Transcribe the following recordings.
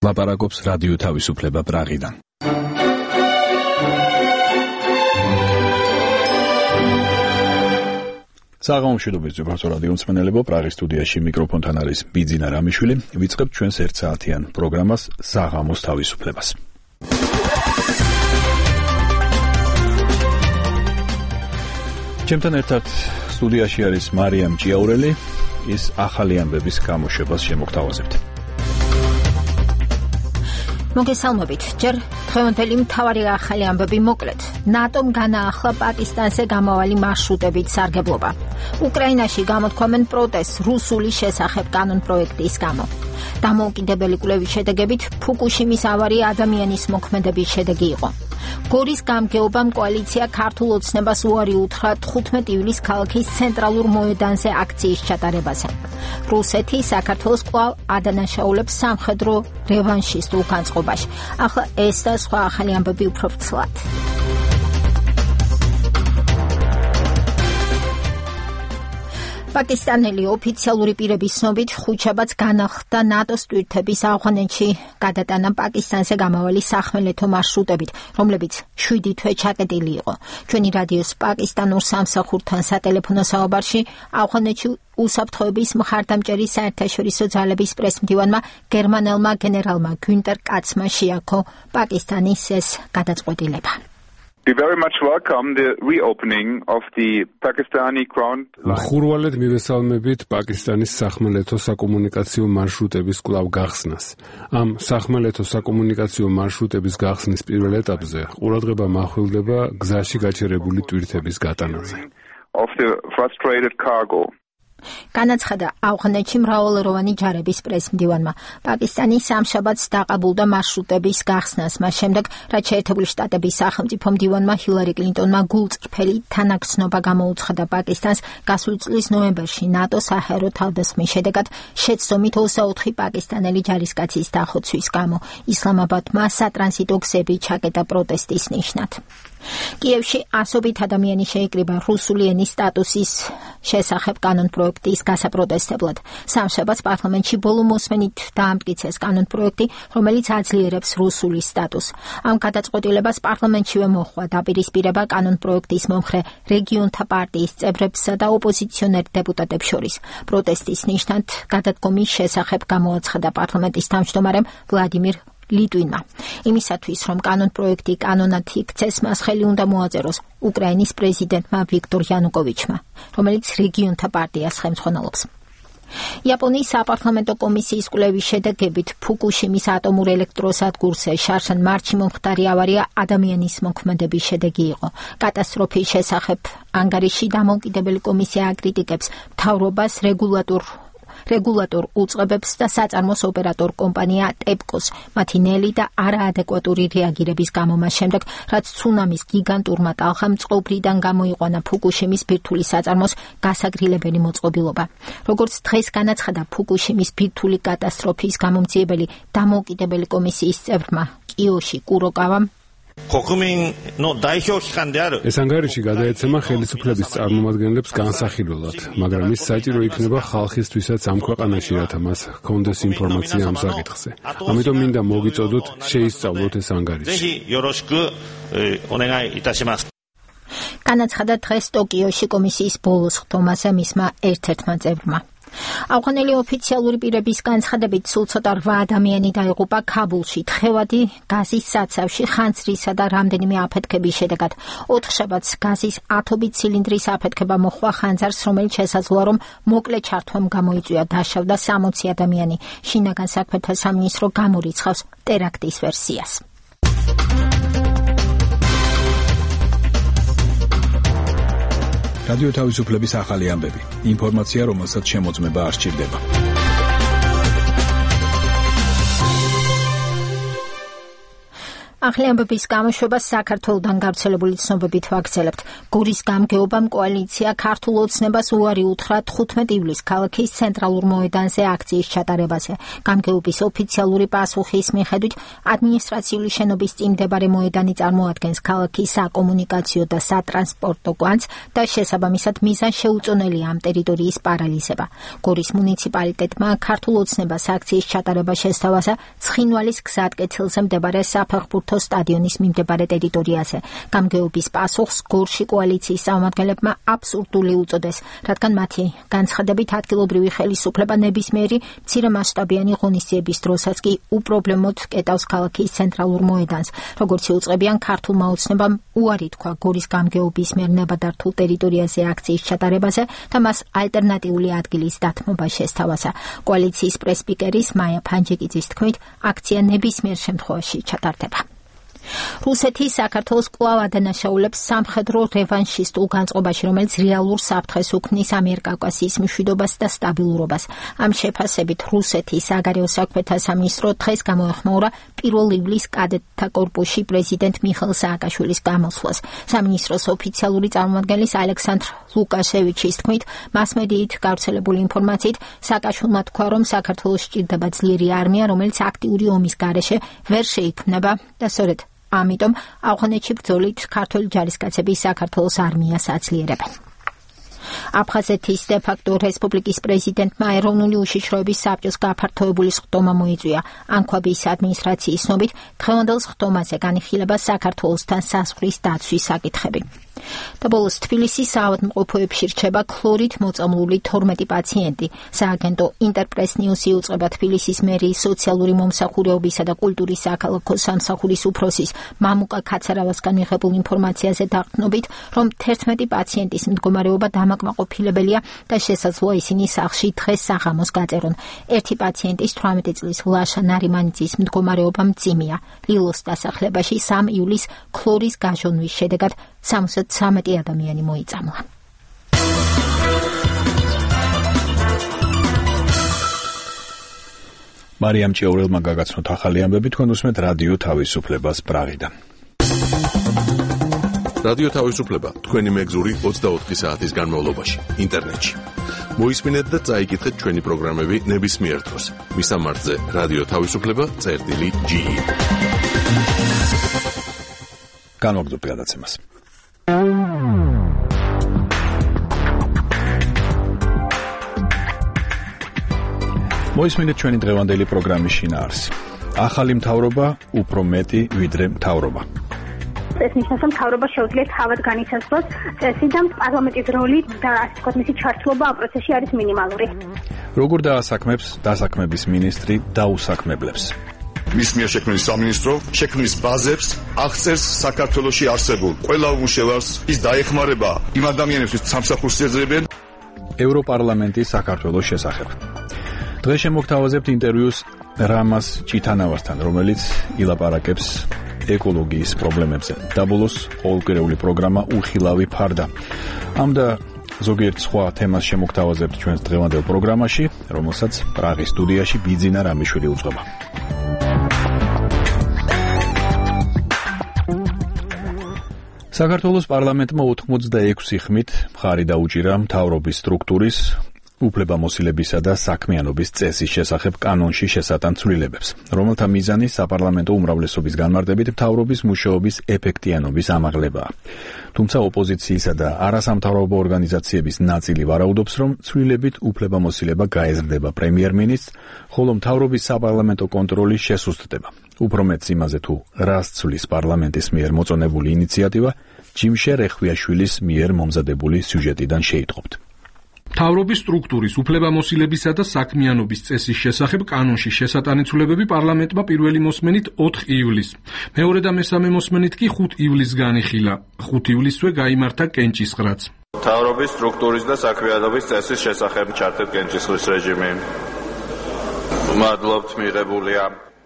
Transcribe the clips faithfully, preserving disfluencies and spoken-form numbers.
ლაპარაკობს რადიო თავისუფლება პრაღიდან. საღამომშვიდობთ ზოგადად რადიო მსმენელებო, პრაღის სტუდიაში მიკროფონთან არის ბიძინა რამიშვილი. ვიწყებთ ჩვენს ერთ საათიან პროგრამას საღამოს თავისუფლებას. ჩემთან ერთად სტუდიაში არის მარიამ ჭიაურელი, ის ახალი ამბების გამოშვებას შემოგთავაზებთ. მოგესალმებით. ჯერ დღევანდელი მთავარი ახალი ამბები მოკლედ. ნატომ განაახლა პაკისტანზე გამავალი მარშრუტებით სარგებლობა. უკრაინაში გამოთქვამენ პროტესტს რუსული შესახებ კანონპროექტის გამო. დამოუკიდებელი კვლევის შედეგებით ფუკუშიმის ავარია ადამიანის მოქმედების შედეგი იყო. გორის გამგეობამ კოალიცია ქართულ ოცნებას უარი უთხრა თხუთმეტი ივლისს ქალაქის ცენტრალურ მოედანზე აქციის ჩატარებაზე. რუსეთი საქართველოს კვლავ ადანაშაულებს სამხედრო რევანშისტულ განწყობაში. ახლა ეს და სხვა ახალი ამბები უფრო ფრთლად. პაკისტანელი ოფიციალური პირების ცნობით ხუთშაბათს განახლდა ნატოს ტვირთების ავღანეთში გადატანა პაკისტანზე გამავალი სახმელეთო მარშრუტებით, რომლებიც შვიდი თვე ჩაკეტილი იყო. ჩვენი რადიოს პაკისტანურ სამსახურთან სატელეფონო საუბარში ავღანეთში უსაფრთხოების მხარდამჭერი საერთაშორისო ძალების პრესმდივანმა გერმანელმა გენერალმა გუნტერ კაცმა შეაქო პაკისტანის ეს გადაწყვეტილება. We very much welcome the reopening of the Pakistani ground line. ხურვალეთ მივესალმებით პაკისტანის სახმელეთო საკომუნიკაციო მარშრუტების კვლავ გახსნას. ამ სახმელეთო საკომუნიკაციო მარშრუტების გახსნის პირველ ეტაპზე ყურადღება მახვილდება გზაში გაჩერებული ტვირთების გატანაზე. Of the frustrated cargo. განაცხადა ავღანეთში მრავალროვანი ჯარების პრესმდივანმა. პაკისტანი სამშაბათს დაყაბულდა მარშრუტების გახსნას, მას შემდეგ, რაც შეერთებული შტატების სახელმწიფო მდივანმა ჰილარი კლინტონმა გულწრფელი თანაგრძნობა გამოუცხადა პაკისტანს გასული წლის ნოემბერში ნატოს საჰაერო თავდასხმის შედეგად შეცდომით ოცდაოთხი პაკისტანელი ჯარისკაცის დახოცვის გამო. ისლამაბადმა სატრანზიტო გზები ჩაკეტა პროტესტის ნიშნად. კიევში ასობით ადამიანი შეიკრიბა რუსული ენის სტატუსის შესახებ კანონპროექტის გასაპროტესტებლად. სამშაბათს პარლამენტში ბოლო მოსმენით დაამტკიცეს კანონპროექტი, რომელიც აძლიერებს რუსულის სტატუსს. ამ გადაწყვეტილებას პარლამენტშივე მოჰყვა დაპირისპირება კანონპროექტის მომხრე რეგიონთა პარტიის წევრებსა და ოპოზიციონერ დეპუტატებს შორის. პროტესტის ნიშნად გადადგომის შესახებ გამოაცხადა პარლამენტის თავმჯდომარემ ვლადიმირ ლიტვინმა. იმისათვის, რომ კანონპროექტი კანონად იქცეს, მას ხელი უნდა მოაწეროს უკრაინის პრეზიდენტმა ვიქტორ იანუკოვიჩმა, რომელიც რეგიონთა პარტიას ხელმძღვანელობს. იაპონიის საპარლამენტო კომისიის კვლევის შედეგებით ფუკუშიმის ატომურ ელექტროსადგურზე შარშან მარტში მომხდარი ავარია ადამიანის მოქმედების შედეგი იყო. კატასტროფის შესახებ ანგარიში დამოუკიდებელი კომისია აკრიტიკებს მთავრობას, რეგულატორ რეგულატორ უწყებებს და საწარმოს ოპერატორ კომპანია ტეპკოს მათი ნელი და არაადეკვატური რეაგირების გამო მას შემდეგ, რაც ცუნამის გიგანტურმა ტალღამ წყობრიდან გამოიყვანა ფუკუშიმის ბირთვული საწარმოს გასაგრილებელი მოწყობილობა. როგორც დღეს განაცხადა ფუკუშიმის ბირთვული კატასტროფის გამომძიებელი დამოუკიდებელი კომისიის წევრმა კიოში კუროკავამ, ეს ანგარიში გადაეცემა ხელისუფლების წარმომადგენლებს განსახილველად, მაგრამ ის საჭირო იქნება ხალხისთვისაც ამ ქვეყანაში, რათა მას ჰქონდეს ინფორმაცია ამ საკითხზე. ამიტომ მინდა მოგიწოდოთ შეისწავლოთ ეს ანგარიში. განაცხადა დღეს ტოკიოში კომისიის ბოლოს ხდომაზე მისმა ერთ-ერთმა წევრმა. ავღანელი ოფიციალური პირების განცხადებით სულ ცოტა რვა ადამიანი დაიღუპა ქაბულში თხევადი გაზის საცავში ხანძრისა და რამდენიმე აფეთქების შედეგად. ოთხშაბათს გაზის ათობით ცილინდრის აფეთქება მოჰყვა ხანძარს, რომელიც შესაძლოა, რომ მოკლე ჩართვამ გამოიწვია, დაშავდა სამოცი ადამიანი. შინაგან საქმეთა სამინისტრო გამორიცხავს ტერაქტის ვერსიას. რადიო თავისუფლების ახალი ამბები. ინფორმაცია, რომელსაც შემოწმება არ სჭირდება. ახალი ამბების გამოშვებას საქართველოდან გავრცელებული ცნობებით ვაგრძელებთ. გურის გამგეობამ კოალიცია ქართულ ოცნებას უარი უთხრა თხუთმეტ ივლისს ქალაქის ცენტრალურ მოედანზე აქციის ჩატარებაზე. გამგეობის ოფიციალური პასუხის მიხედვით ადმინისტრაციული შენობის წინ მდებარე მოედანი წარმოადგენს ქალაქის საკომუნიკაციო და სატრანსპორტო კვანძს და შესაბამისად მიზანს შეუწონელია ამ ტერიტორიის პარალიზება. გურის მუნიციპალიტეტმა ქართულ ოცნებას აქციის ჩატარება შესთავაზა ცხინვალის გზატკეცილზე მდებარე საფეხბურთო სტადიონის მიმდებარე ტერიტორიაზე. გამგეობის პასუხს გორში კოალიციის წარმომადგენლებმა აბსურდული უწოდეს, რადგან მათი განცხადებით ადგილობრივი ხელისუფლება ნებისმიერი მცირემასშტაბიანი ღონისძიების დროსაც კი უპრობლემოდ კეტავს ქალაქის ცენტრალურ მოედანს. როგორც იუწყებიან, ქართულმა ოცნებამ უარი თქვა გორის გამგეობის მიერ ნებადართულ ტერიტორიაზე აქციის ჩატარებაზე და მას ალტერნატიული ადგილის დათმობა შესთავაზა. კოალიციის პრესპიკერის მაია ფანჯიკიძის თქმით, აქცია ნებისმიერ შემთხვევაში ჩატარდება. რუსეთი საქართველოს კვლავ ადანაშაულებს სამხედრო რევანშისტულ განწყობაში, რომელიც რეალურ საფრთხეს უქმნის ამიერკავკასიის მშვიდობას და სტაბილურობას. ამ შეფასებით რუსეთის საგარეო საქმეთა სამინისტრო დღეს გამოეხმაურა პირველ ივლისს კადეტთა კორპუსში პრეზიდენტ მიხეილ სააკაშვილის გამოსვლას. სამინისტროს ოფიციალური წარმომადგენლის ალექსანდრ ლუკაშევიჩის თქმით, მასმედიით გავრცელებული ინფორმაციით სააკაშვილმა თქვა, რომ საქართველოს სჭირდება ძლიერი არმია, რომელიც აქტიური ომის გარეშე ვერ შეიქმნება და სწორედ ამიტომ ავღანეთში ბრძოლით ქართველი ჯარისკაცები საქართველოს არმიას აძლიერებენ. აფხაზეთის დე-ფაქტო რესპუბლიკის პრეზიდენტმა ეროვნული უშიშროების საბჭოს გაფართოებული სხდომა მოიწვია. ანქვაბის ადმინისტრაციის ცნობით, დღევანდელ სხდომაზე განიხილება საქართველოსთან საზღვრის დაცვის საკითხები. და ბოლოს თბილისის საავადმყოფოებში რჩება ქლორით მოწამლული თორმეტი პაციენტი. სააგენტო ინტერპრეს ნიუსი იუწყება თბილისის მერიის სოციალური მომსახურეობისა და კულტურის საქალაქო სამსახურის უფროსის მამუკა ქაცარავასგან მიღებულ ინფორმაციაზე დაყრდნობით, რომ თერთმეტი პაციენტის მდგომარეობა დამაკმაყოფილებელია და შესაძლოა ისინი სახლში დღეს საღამოს გაწერონ. ერთი პაციენტის თვრამეტი წლის ლაშა ნარიმანიძის მდგომარეობა მძიმეა. ლილოს დასახლებაში სამი ივლისს ქლორის გაჟონვის შედეგად სამოცდათრამეტი ადამიანი მოიწამლა. მარიამ ჭიაურელმა გაგაცნოთ ახალი ამბები, თქვენ უსმენთ რადიო თავისუფლებას პრაღიდან. რადიო თავისუფლება თქვენი მეგზური ოცდაოთხი საათის განმავლობაში ინტერნეტში. მოისმინეთ და წაიკითხეთ ჩვენი პროგრამები ნებისმიერ დროს. მისამართზე რადიო თავისუფლება წერტილი ჯი. განვაგრძობ გადაცემას. მოისმინეთ ჩვენი დღევანდელი პროგრამის შინაარსი. ახალი მთავრობა უფრო მეტი ვიდრე მთავრობა. ეს ნიშნავს, რომ მთავრობა შეუძლია თავად განიცადოს წესი და პარლამენტის როლი და ასე ვთქვათ, მისი ჩართულობა ამ პროცესში არის მინიმალური. როგორ დაასაქმებს დასაქმების მინისტრი დაუსაქმებლებს? მის მიერ შექმნილი სამინისტრო შექმნის ბაზებს აღწერს საქართველოში არსებულ ყველა უმუშევარს, ის დაეხმარება იმ ადამიანებს, ვინც სამსახურს ეძებენ. ევროპარლამენტის საქართველოს შესახებ. დღეს შემოგთავაზებთ ინტერვიუს რამას ჭითანავასთან, რომელიც ილაპარაკებს ეკოლოგიის პრობლემებზე. და ბოლოს ყოველკვირეული პროგრამა უხილავი ფარდა. ამ და ზოგიერთ სხვა თემას შემოგთავაზებთ ჩვენს დღევანდელ პროგრამაში, რომელსაც პრაღის სტუდიაში ბიძინა რამიშვილი უძღვება. საქართველოს პარლამენტმა ოთხმოცდაექვსი ხმით მხარი დაუჭირა მთავრობის სტრუქტურის უფლებამოსილებისა და საქმიანობის წესის შესახებ კანონში შესატან ცვლილებებს, რომელთა მიზანი საპარლამენტო უმრავლესობის განმარტებით მთავრობის მუშაობის ეფექტიანობის ამაღლებაა. თუმცა ოპოზიციისა და არასამთავრობო ორგანიზაციების ნაწილი ვარაუდობს, რომ ცვლილებით უფლებამოსილება გაეზრდება პრემიერ-მინისტრს, ხოლო მთავრობის საპარლამენტო კონტროლის შესუსტდება. უფრო მეტს იმაზე თუ რას ცვლის პარლამენტის მიერ მოწონებული ინიციატივა, ჯიმშე რეხვიაშვილის მიერ მომზადებული სიუჟეტიდან შეიტყობთ. მთავრობის სტრუქტურის უფლებამოსილებისა და საქმიანობის წესის შესახებ კანონში შესატანი ცვლილებები პარლამენტმა პირველი მოსმენით ოთხ ივლისს. მეორე და მესამე მოსმენით კი ხუთ ივლისს განიხილა. ხუთ ივლისსვე გაიმართა კენჭისყრაც. მთავრობის სტრუქტურის და საქმიანობის წესის შესახებ ჩართეთ კენჭისყრის რეჟიმი. მადლობთ მიღებულია.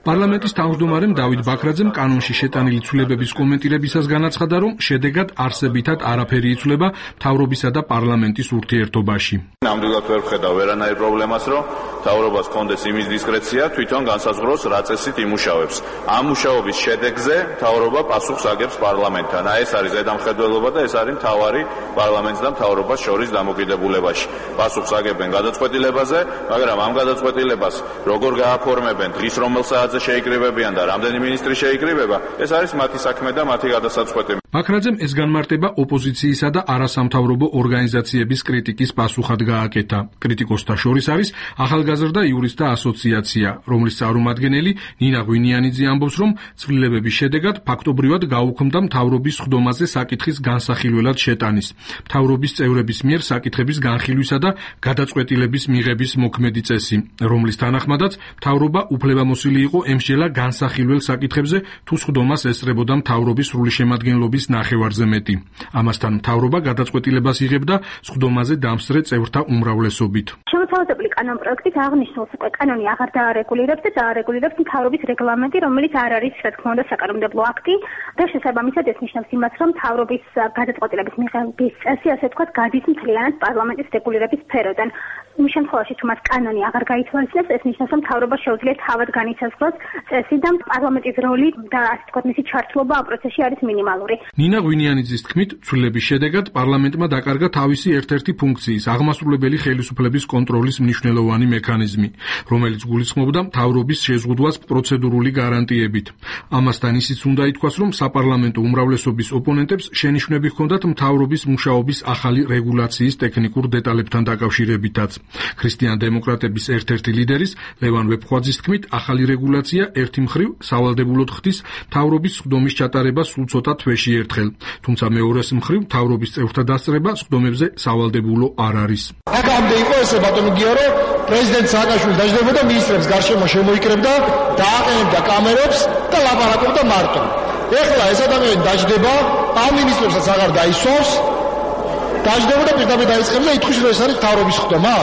პარლამენტის თავმჯდომარემ დავით ბაქრაძემ კანონში შეტანილი ცვლილებების კომენტირებისას განაცხადა, რომ შედეგად არსებითად არაფერი იცვლება მთავრობისა და პარლამენტის ურთიერთობაში. ნამდვილად ვერ ვხედავ ვერანაირ პრობლემას, რომ მთავრობას ჰქონდეს იმის დისკრეცია თვითონ განსაზღვროს რა წესით იმუშავებს. ამ მუშაობის შედეგზე მთავრობა პასუხს აგებს პარლამენტთან. აი ეს არის ზედამხედველობა და ეს არის მთავარი პარლამენტს და მთავრობას შორის დამოკიდებულებაში. პასუხს აგებენ გადაწყვეტილებაზე, მაგრამ ამ გადაწყვეტილებას როგორ გააფორმებენ, დღის რომელ საათზე შეიკრიბებიან და რამდენი მინისტრი შეიკრიბება, ეს არის მათი საქმე და მათი გადასაწყვეტი. მაქრაძემ ეს განმარტება ოპოზიციისა და არასამთავრობო ორგანიზაციების კრიტიკის პასუხად გააკეთა. კრიტიკოსთა შორის არის ახალგაზრდა იურისტთა ასოციაცია, რომლის წარმომადგენელი ნინა ღვინიანიძე ამბობს, რომ ცვლილებების შედეგად ფაქტობრივად გაუქმდა მთავრობის სხდომაზე საკითხის განსახილველად შეტანის. მთავრობის წევრების მიერ საკითხების განხილვისა და გადაწყვეტილების მიღების მოქმედი წესი, რომლის თანახმადაც მთავრობა უფლებამოსილი იყო ემსჯელა განსახილველ საკითხებზე, თუ სხდომას ესწრებოდა მთავრობის სრული შემადგენლობის ნახევარზე მეტი. ამასთან მთავრობა გადაწყვეტილებას იღებდა სხდომაზე დამსწრე წევრთა უმრავლესობით. შემოთავაზებული კანონპროექტით აღნიშნულს უკვე კანონი აღარ დაარეგულირებს და დაარეგულირებს მთავრობის რეგლამენტი, რომელიც არ არის, რა თქმა უნდა, საკანონმდებლო აქტი და შესაბამისად ეს ნიშნავს იმას, რომ მთავრობის გადაწყვეტილების მიღების წესი, ასე ვთქვათ, გადის მთლიანად პარლამენტის რეგულირების სფეროდან. იმ შემთხვევაში, თუ მას კანონი აღარ გაითვალისწინებს, ეს ნიშნავს, რომ მთავრობა შეუძლია თავად განიცაზღვროს წესი და პარლამენტის როლი და ასე ვთქვათ, მისი ჩართულობა ამ პროცესში არის მინიმალური. ნინა ღვინიანიძის თქმით, ცვლილების შედეგად პარლამენტმა დაკარგა თავისი ერთ-ერთი ფუნქციის, აღმასრულებელი ხელისუფლების კონტროლის მნიშვნელოვანი მექანიზმი, რომელიც გულისხმობდა მთავრობის შეზღუდვას პროცედურული გარანტიებით. ამასთან ისიც უნდა ითქვას, რომ საპარლამენტო უმრავლესობის ოპონენტებს შენიშვნები ჰქონდათ მთავრობის მუშაობის ახალი რეგულაციის ტექნიკურ დეტალებთან დაკავშირებითაც. ქრისტიან-დემოკრატების ერთ-ერთი ლიდერის ლევან ვეფხვაძის თქმით, ახალი რეგულაცია ერთი მხრივ სავალდებულოდ ხდის მთავრობის სხდომის ჩატარებას სულ ცოტა თვეში ერთხელ, თუმცა მეორეს მხრივ მთავრობის წევრთა დასწრება სხდომებზე სავალდებულო არ არის. აქამდე იყო ესე ბატონო გიო, რომ პრეზიდენტ სააკაშვილი დაждდებოდა მინისტრებს გარშემო შემოიკრებდა, დააყენებდა კამერებს და ლაპარაკობდა მარტო. ეხლა ეს ადამიანი დაждდება, ამ მინისტრებსაც აღარ დაისვავს, დაждდებოდა პირდაპირ დაიწყებს და ითქვის, რომ ეს არის მთავრობის სხდომა.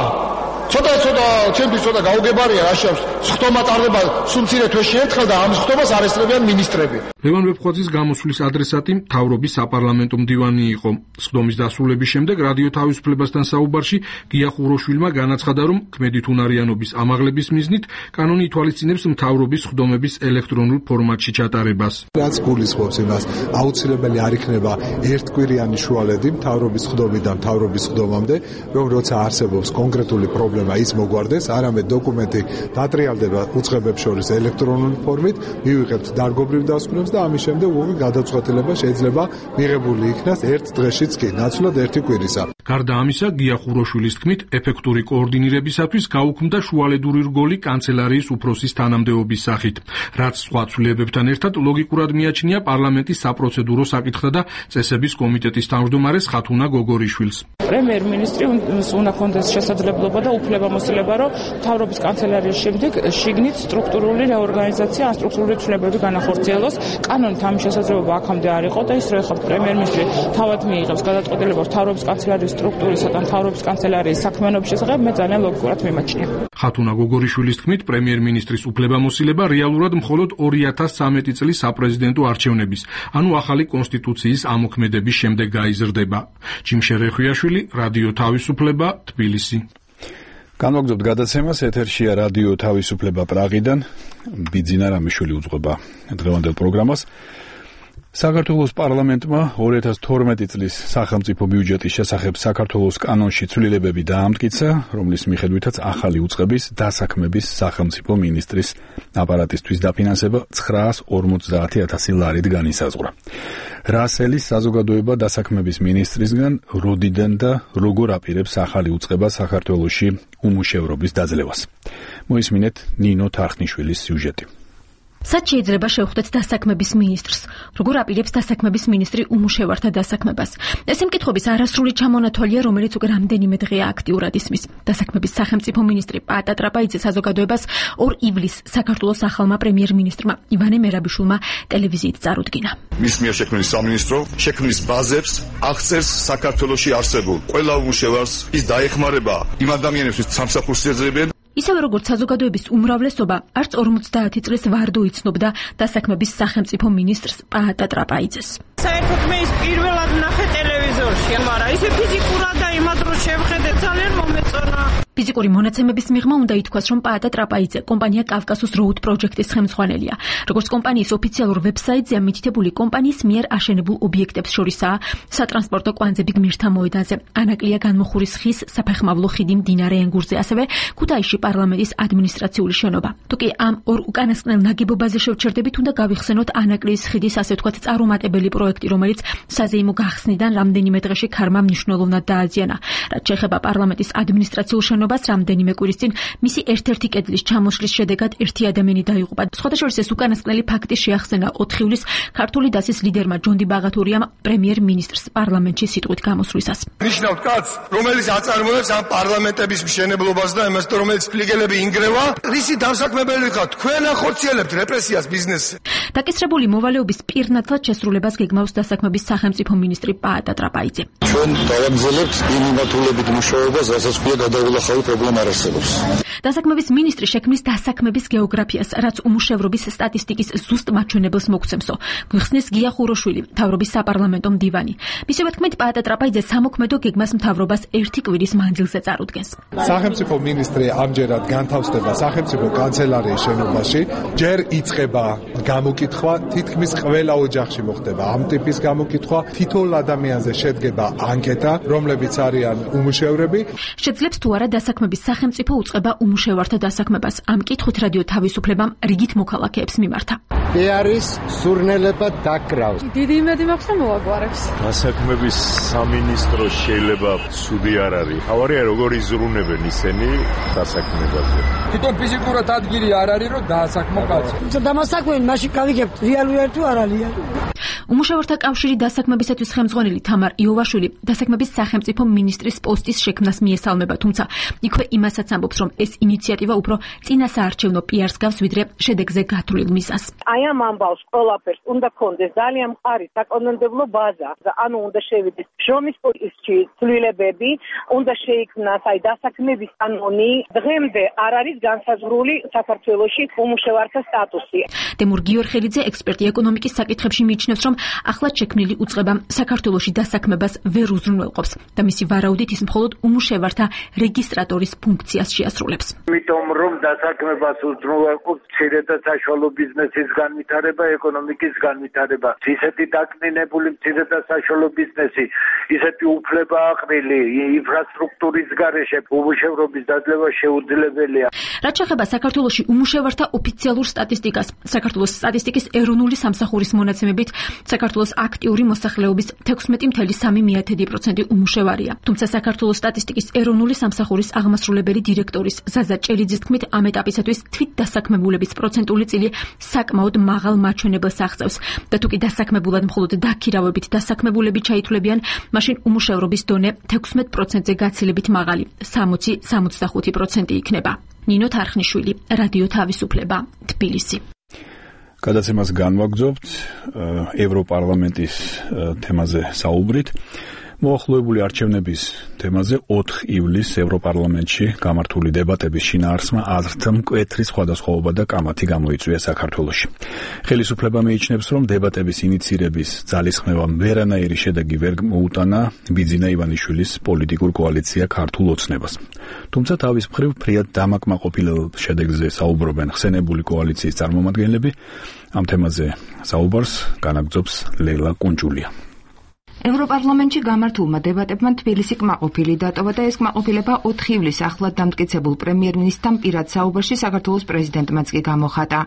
ცოტა ცოტა ჩემთვის ცოტა გაუგებარია რა შეავს სხდომა ტარდება სულ მცირე თვეში ერთხელ და ამ სხდომას არ ესწრებიან მინისტრები. ლევან ვეფხვაძის გამოსვლის ადრესატი მთავრობის საპარლამენტო მდივანი იყო. სხდომის დასრულების შემდეგ რადიო თავისუფლებასთან საუბარში გია ხუროშვილმა განაცხადა, რომ ქმედითუნარიანობის ამაღლების მიზნით კანონი ითვალისწინებს მთავრობის სხდომების ელექტრონულ ფორმატში ჩატარებას. რაც გულისხმობს იმას, აუცილებელი არ იქნება ერთკვირიანი შუალედი მთავრობის სხდომიდან მთავრობის სხდომამდე, რომ როცა არსებობს კონკრეტული პრობლემა ის მოგვარდეს, არამედ დოკუმენტი დატრიალდება უწყებებს შორის ელექტრონული ფორმით, მივიღებთ დარგობრივ დასკვნებს და ამის შემდეგ უღი გადაწყვეტილება შეიძლება მიღებული იქნას ერთ დღეშიც კი, ნაცვლად ერთი კვირისა. გარდა ამისა, გია ხუროშვილის თქმით, ეფექტური კოორდინირებისათვის გაუქმდა შუალედური რგოლი კანცელარიის უფროსის თანამდებობის სახით, რაც სხვა ცვლილებებთან ერთად ლოგიკურად მიაჩნია პარლამენტის საპროცედურო საკითხთა და წესების კომიტეტის თავმჯდომარეს ხათუნა გოგორიშვილს. პრემიერ-მინისტრი უნდა ჰქონდეს შესაძლებლობა და უფლებამოსილება, რომ მთავრობის კანცელარიის შემდეგ შიგნით სტრუქტურული რეორგანიზაცია, ან სტრუქტურული ცვლილებები განახორციელოს. კანონით ამის შესაძლებლობა აქამდე არ იყო და ის რომ ეხლა პრემიერ-მინისტრი თავად მიიღებს გადაწყვეტილებას მთავრობის კანცელარიის სტრუქტურისა და მთავრობის კანცელარიის საქმიანობის შესახებ, მე ძალიან ლოგიკურად მიმაჩნია. ხათუნა გოგორიშვილის თქმით, პრემიერ-მინისტრის უფლებამოსილება რეალურად მხოლოდ ორი ათას ცხრამეტი წლის საპრეზიდენტო არჩევნების, ანუ ახალი კონსტიტუციის ამოქმედების შემდეგ გაიზრდება. ჯიმშე რეხვიაშვილი, რადიო თავისუფლება, თბილისი. განვაგრძობთ გადაცემას, ეთერშია რადიო თავისუფლება პრაღიდან. ბიძინა რამიშვილი უძღვება დღევანდელ პროგრამას. საქართველოს პარლამენტმა ორი ათას თორმეტი წლის სახელმწიფო ბიუჯეტის შესახებ საქართველოს კანონში ცვლილებები დაამტკიცა, რომლის მიხედვითაც ახალი უწყების დასაქმების სახელმწიფო მინისტრის აპარატისთვის დაფინანსება ცხრაას ორმოცდაათი ათასი ლარით განისაზღვრა. რასელის საზოგადოება დასაქმების მინისტრისგან როდიდან და როგორ აპირებს ახალი უწყება საქართველოში უმუშევრობის დაძლევას. მოისმინეთ ნინო თარხნიშვილის სიუჟეტი. Სად შეიძლება შევხვდეთ დასაქმების მინისტრს? Როგორ აპირებს დასაქმების მინისტრი უმუშევართა დასაქმებას? ეს მკითხობის არასრული ჩამონათვალია, რომელიც უკვე რამდენიმე დღეა აქტიურად ისმის. დასაქმების სახელმწიფო მინისტრი პაატა ტრაპაიძე საზოგადოებას ორ ივლისს საქართველოს ახალმა პრემიერ-მინისტრმა ივანე მერაბიშვილმა ტელევიზიით წარუდგინა. მის მიერ შექმნილი სამინისტრო შექმნის ბაზებს აღწერს საქართველოში არსებულ ყველა უმუშევარს, ის დაეხმარება იმ ადამიანებისთვის სამსახურს ეძებენ. ისევე როგორც საზოგადოების უმრავლესობა, არც ორმოცდაათი წლის ვარდო იცნობდა დასაქმების სახელმწიფო მინისტრს პაატა ტრაპაიძეს. საერთოდ მე ის პირველად ნახე ტელევიზორში, მაგრამ ისე ფიზიკურად და იმად რო შევხედე ძალიან მომეწონა. ფიზიკური მონაცემების მიღმა უნდა ითქვას, რომ პაატა ტრაპაიძე კომპანია კავკასუს როუდ პროჯექტის ხელმძღვანელია. როგორც კომპანიის ოფიციალურ ვებსაიტზე მითითებული კომპანიის მიერ აშენებულ ობიექტებს შორისაა სატრანსპორტო კვანძები გმირთა მოედანზე, ანაკლია განმოხურის ხის საფეხმავლო ხიდი მდინარე ენგურზე, ასევე ქუთაისში პარლამენტის ადმინისტრაციული შენობა. თუკი ამ ორ უკანასკნელ ნაგებობაზე შევჩერდებით, უნდა გავიხსენოთ ანაკლიის ხიდის ასე ვთქვათ წარუმატებელი პროექტი, რომელიც საზეიმო გახსნიდან რამდენიმე დღეში ქარმა მნიშვნელოვნად დააზიანა. რაც შეეხება პარლამენტის ადმინისტრაციულ შენობას, რამდენიმე კვირის წინ მისი ერთ-ერთი კედლის ჩამოშლის შედეგად ერთი ადამიანი დაიღუპა. სხვადასხვა ეს უკანასკნელი ფაქტი შეახსენა ოთხ ივლისს ქართული დასის ლიდერმა ჯონდი ბაღათურიამ პრემიერ-მინისტრს პარლამენტში სიტყვით გამოსვლისას. ნიშნავთ კაცს, რომელიც აწარმოებს ამ პარლამენტების მშენებლობას და იმას, რომელიც ფლიგელები ინგრევა, რისი დამსაქმებელი ხართ? თქვენ ახორციელებთ რეპრესიას ბიზნესზე. დაკისრებული მოვალეობის პირნათლად შესრულებას გეგმავს დასაქმების სახელმწიფო მინისტრი პაატა ტრაპაიძე. ჩვენ დავაგრძელებთ იმ მიმართულებით მუშაობას, რასაც ქვია გადაულახავი პრობლემა არ არსებობს. დასაქმების მინისტრი შექმნის დასაქმების გეოგრაფიას, რაც უმუშევრობის სტატისტიკის ზუსტ მაჩვენებელს მოგცემსო. გვიხსნის გია ხუროშვილი, მთავრობის საპარლამენტო მდივანი. მისივე თქმით, პაატა ტრაპაიძე სამოქმედო გეგმას მთავრობას ერთი კვირის მანძილზე წარუდგენს. სახელმწიფო მინისტრი ამჯერად განთავსდება სახელმწიფო კანცელარიის შენობაში. ჯერ იწყება გამოკითხვა, თითქმის ყველა ოჯახში მოხდება ამ ტიპის გამოკითხვა. თითოეულ ადამიანზე შედგება ანკეტა, რომლებიც არიან უმუშევრები. შეძლებს თუ არა დასაქმების სახელმწიფო უწყება უმუშევართა დასაქმებას. ამ კითხვით რადიო თავისუფლებამ რიგით მოქალაქეებს მიმართა. მე არის სურნელება დაკრავს. დიდი იმედი მაქვს და მოაგვარებს. დასაქმების სამინისტრო შეიძლება ცუდი არ არის. თავარია როგორ იზრუნებენ ისინი დასაქმებაზე. თვითონ ფიზიკურად ადგილი არ არის რომ დაასაქმო კაცი. დამასაქმენ მაშინ გავიგებთ რეალურად თუ არა რეალურად. უმუშევართა კავშირი დასაქმებისათვის ხელმძღვანელი თამარ იოვაშვილი დასაქმების სახელმწიფო მინისტრის პოსტის შექმნას მიესალმება, თუმცა იქვე იმასაც ამბობს, რომ ეს ინიციატივა უფრო წინასაარჩევნო პიარს გავს, ვიდრე შედეგზე გათვლილ მიზანს. აი ამ ამბავს ყველაფერს უნდა კონდეს ძალიან მყარი საკანონმდებლო ბაზა, ანუ უნდა შევიდეს შრომის კოდექსში ცვლილებები, უნდა შეიქმნას აი დასაქმების კანონი. დღემდე არ არის განსაზღვრული საქართველოში უმუშევართა სტატუსი. თემურ გიორხელიძე, ექსპერტი ეკონომიკის საკითხებში მიიჩნევს, რომ ახლად შექმნილი უწყება საქართველოში დასაქმებას ვერ უზრუნველყოფს და მისი ვარაუდით ის მხოლოდ უმუშევართა რეგისტრატორის ფუნქციას შეასრულებს. იმიტომ რომ დასაქმებას უზრუნველყოფს მცირე და საშუალო ბიზნესის განვითარება, ეკონომიკის განვითარება. ისეთი დაკნინებული მცირე და საშუალო ბიზნესი, ისეთი უფლება აყრილი ინფრასტრუქტურის გარეშე უმუშევრობის დაძლევა შეუძლებელია. რაც შეეხება საქართველოში უმუშევართა ოფიციალურ სტატისტიკას, საქართველოს სტატისტიკის ეროვნული სამსახურის მონაცემებით საქართველოს აქტიური მოსახლეობის თექვსმეტი целых სამი პროცენტი უმუშევარია. თუმცა საქართველოს სტატისტიკის ეროვნული სამსახურის აღმასრულებელი დირექტორის ზაზა ჭელიძის თქმით, ამ ეტაპისათვის თვით დასაქმებულების პროცენტული წილი საკმაოდ მაღალ მაჩვენებელს აღწევს და თუკი დასაქმებულად მხოლოდ დაქირავებით დასაქმებულები ჩაითვლებიან, მაშინ უმუშევრობის დონე თექვსმეტ პროცენტზე გაცილებით მაღალი, სამოცი სამოცდახუთი პროცენტი იქნება. ნინო თარხნიშვილი, რადიო თავისუფლება, თბილისი. გადაცემას განვაგრძობთ ევროპარლამენტის თემაზე საუბრით. მოახლოებული არჩევნების თემაზე ოთხ ივლისს ევროპარლამენტში გამართული დებატების შინაარსმა აზრთ მკვეთრი სხვადასხვაობა და კამათი გამოიწვია საქართველოში. ხელისუფლება მიიჩნევს, რომ დებატების ინიცირების ძალისხმევამ ვერანაირი შედეგი ვერ მოუტანა ბიძინა ივანიშვილის პოლიტიკურ კოალიცია ქართულ ოცნებას. თუმცა თავის მხრივ ფრიად დამაკმაყოფილ შედეგზე საუბრობენ ხსენებული კოალიციის წარმომადგენლები. ამ თემაზე საუბარს განაგრძობს ლეილა კუნჯულია. ევროპარლამენტში გამართულმა დებატებმა თბილისი კმაყოფილი დატოვა და ეს კმაყოფილება ოთხ ივლისს ახლად დამტკიცებულ პრემიერ-მინისტრთან პირად საუბარში საქართველოს პრეზიდენტმაც კი გამოხატა.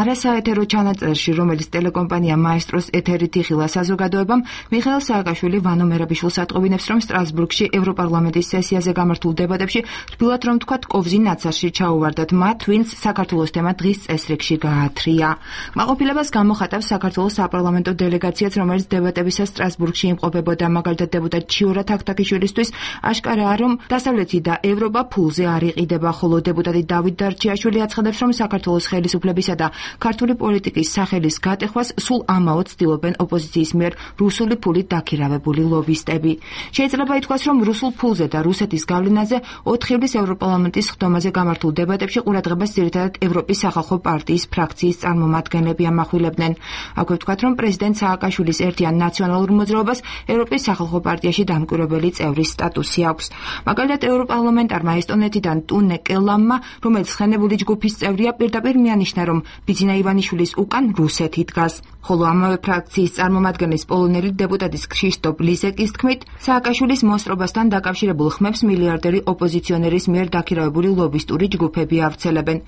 არასაეთერო ჩანაწერში, რომელიც ტელეკომპანია მაესტროს ეთერით იხილა საზოგადოებამ, მიხეილ სააკაშვილი ვანო მერაბიშვილს ატყობინებს, რომ სტრასბურგში ევროპარლამენტის სესიაზე გამართულ დებატებში რბილად რომ თქვათ კოვზი ნაცარში ჩაუვარდათ მათ, ვინც საქართველოს თემა დღის წესრიგში გაათრია. კმაყოფილებას გამოხატავს საქართველოს საპარლამენტო დელეგაციაც, რომელიც დებატებისას სტრასბურგში იმყოფებოდა, მაგალითად დეპუტატ ჩიორა თაქთაქიშვილისთვის აშკარაა, რომ დასავლეთი და ევროპა ფულზე არ იყიდება, ხოლო დეპუტატი დავით დარჩიაშვილი აცხადებს, რომ საქართველოს ხელისუფლებისა და ქართული პოლიტიკის სახელის გატეხვას სულ ამაოდ ცდილობენ ოპოზიციის მიერ რუსული ფულით დაქირავებული ლობისტები. შეიძლება ითქვას, რომ რუსულ ფულზე და რუსეთის გავლენაზე ოთხ ივლისს ევროპარლამენტის ხდომაზე გამართულ დებატებში ყურადღებას ძირითადად ევროპის სახალხო პარტიის ფრაქციის წარმომადგენლები ამახვილებდნენ. აქვე ვთქვათ, რომ პრეზიდენტ სააკაშვილის ერთიან ნაციონალურ მოძრაობას ევროპის სახალხო პარტიაში დამკვირვებელი წევრის სტატუსი აქვს. მაგალითად, ევროპარლამენტარმა ესტონეთიდან ტუნე კელამმა, რომელიც ხენებული ჯგუფის წევრია, პირდაპირ მიანიშნა, რომ ბიძინა ივანიშვილის უკან რუსეთი დგას. ხოლო ამავე ფრაქციის წარმომადგენლის პოლონელი დეპუტატის ქრისტოფ ლიზეკის თქმით, სააკაშვილის მოსწრობასთან დაკავშირებულ ხმებს მილიარდერი ოპოზიციონერის მიერ დაქირავებული ლობისტური ჯგუფები ავრცელებენ.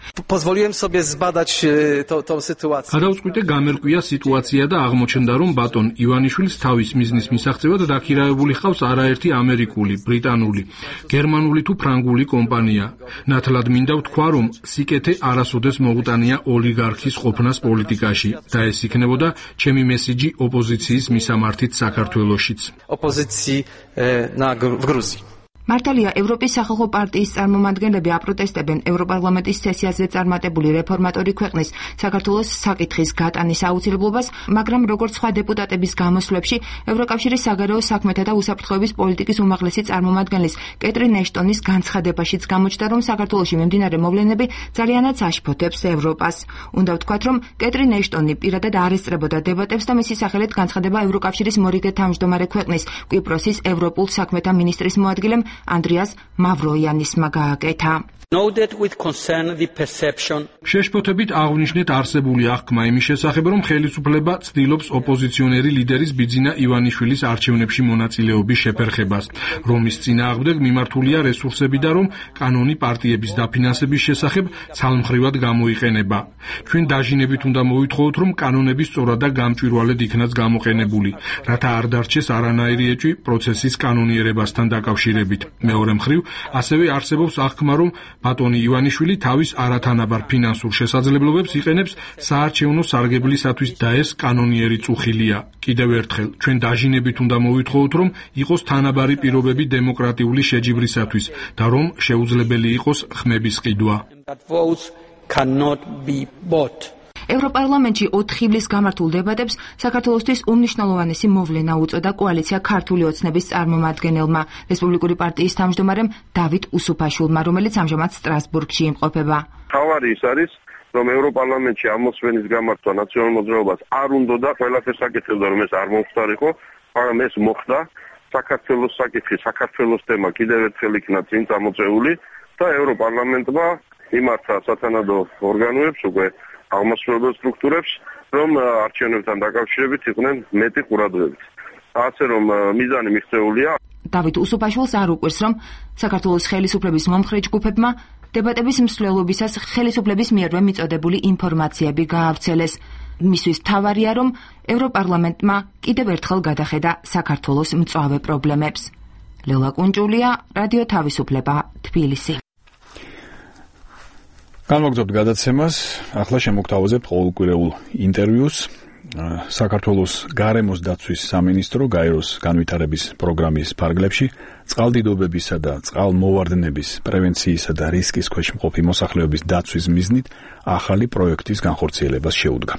გადავწყვიტე გამერკვია სიტუაცია და აღმოჩნდა, რომ ბატონ ივანიშვილს თავის მიზნის მისაღწევად დაქირავებული ჰყავს არაერთი ამერიკული, ბრიტანული, გერმანული თუ ფრანგული კომპანია. ნათლად მინდა ვთქვა, რომ სიკეთე არასოდეს მოუტანია ოლიგარქის ყოფნას პოლიტიკაში და ეს იქნებოდა ჩემი მესიჯი ოპოზიციის მისამართით საქართველოშიც. მართალია, ევროპის სახალხო პარტიის წარმომადგენლები აპროტესტებენ ევროპარლამენტის სესიაზე წარმატებული რეფორმატორი ქვეყნის საქართველოს საკითხის გატანის აუცილებლობას, მაგრამ როგორც სხვა დეპუტატების გამოსვლებში, ევროკავშირის საგარეო საქმეთა და უსაფრთხოების პოლიტიკის უმაღლესი წარმომადგენლის კეტრინ ეშტონის განცხადებაშიც გამოჩნდა, რომ საქართველოში მიმდინარე მოვლენები ძალიანაც აშფოთებს ევროპას. უნდა ვთქვათ, რომ კეტრინ ეშტონი პირადად არ ესწრებოდა დებატებს და მისი სახელით განცხადება ევროკავშირის მორიგე თავმჯდომარე ქვეყნის კვიპროსის ევროპულ საქმეთა მინისტრის მოადგილემ Andrias Mavroyanisma გააკეთა. შეშფოთებით აღვნიშნეთ არსებული აღქმა იმის შესახებ, რომ ხელისუფლება ცდილობს ოპოზიციონერი ლიდერის ბიძინა ივანიშვილის არჩევნებში მონაწილეობის შეფერხებას, რომ ის წინააღმდეგ მიმართულია რესურსები და რომ კანონი პარტიების დაფინანსების შესახებ ცალმხრივად გამოიყენება. ჩვენ დაჟინებით უნდა მოვითხოვოთ, რომ კანონები სწორად და გამჭვირვალედ იქნას გამოყენებული, რათა არ დარჩეს არანაირი ეჭვი პროცესის კანონიერებასთან დაკავშირებით. მეორე მხრივ, ასევე არსებობს აღქმა, რომ ბატონი ივანიშვილი თავის არათანაბარ ფინანსურ შესაძლებლობებს იყენებს საარჩევნო სარგებლისათვის და ეს კანონიერი წუხილია. კიდევ ერთხელ, ჩვენ დაჟინებით უნდა მოვითხოვოთ, რომ იყოს თანაბარი პირობები დემოკრატიული შეჯიბრისათვის და რომ შეუძლებელი იყოს ხმების ყიდვა. ევროპარლამენტში ოთხ ივლისს გამართულ დებატებს საქართველოსთვის უმნიშვნელოვანესი მოვლენა უწოდა კოალიცია ქართული ოცნების წარმომადგენელმა, რესპუბლიკური პარტიის თავმჯდომარემ დავით უსუფაშვილმა, რომელიც ამჟამად სტრასბურგში იმყოფება. თავარი ის არის, რომ ევროპარლამენტში ამოსვენის გამართვა ნაციონალურ მოძრაობას არ უნდა და ყველაფერს აკეთებდა, რომ ეს არ მომხდარიყო, მაგრამ ეს მოხდა. საქართველოს საკითხი, საქართველოს თემა კიდევ ერთხელ იქნა წინ წამოწეული და ევროპარლამენტმა იმართა სათანადო ორგანოებს უკვე აღმასრულებელ სტრუქტურებს, რომ არჩევნებთან დაკავშირებით იყვნენ მეტი ყურადღებით. ასე რომ მიზანი მიღწეულია. დავით უსუფაშვილს არ უყვირს, რომ საქართველოს ხელისუფლების მომხრე ჯგუფებმა დებატების მსვლელობისას ხელისუფლების მიერვე მიწოდებული ინფორმაციები გაავრცელეს. მისთვის მთავარია, რომ ევროპარლამენტმა კიდევ ერთხელ გადახედა საქართველოს მწვავე პრობლემებს. ლელა კუნჭულია, რადიო თავისუფლება, თბილისი. განმოგზავნებთ გადაცემას, ახლა შემოგთავაზებთ ყოველკვირეულ ინტერვიუს. საქართველოს გარემოს დაცვის სამინისტრო გაეროს განვითარების პროგრამის ფარგლებში წყალდიდობებისა და წყალმოვარდნების პრევენციისა და რისკის ქვეშ მყოფი მოსახლეობის დაცვის მიზნით ახალი პროექტის განხორციელებას შეუდგა.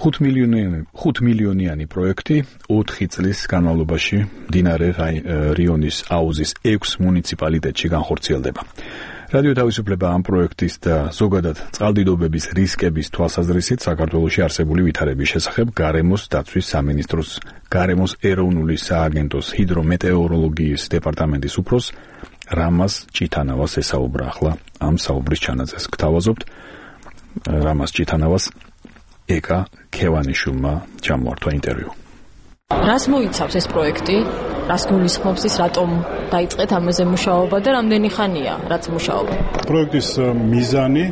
ხუთ მილიონიანი პროექტი ოთხი წლის განმავლობაში მდინარე რიონის აუზის ექვს მუნიციპალიტეტში განხორციელდება. რადიო თავისუფლება ამ პროექტის და ზოგადად წყალდიდობების რისკების თვალსაზრისით საქართველოში არსებული ვითარების შესახებ გარემოს დაცვის სამინისტროს გარემოს ეროვნული სააგენტოს ჰიდრომეტეოროლოგიის დეპარტამენტის უფროს რამაზ ჭითანავას ესაუბრა. ახლა ამ საუბრის ჩანაწერს გთავაზობთ. რამაზ ჭითანავას ეკა ქევანიშვილმა ჩამოართვა ინტერვიუ. რას მოიცავს ეს პროექტი? რას გულისხმობს ის, რატომ დაიწყეთ ამაზე მუშაობა და რამდენი ხანია რაც მუშაობა? პროექტის მიზანი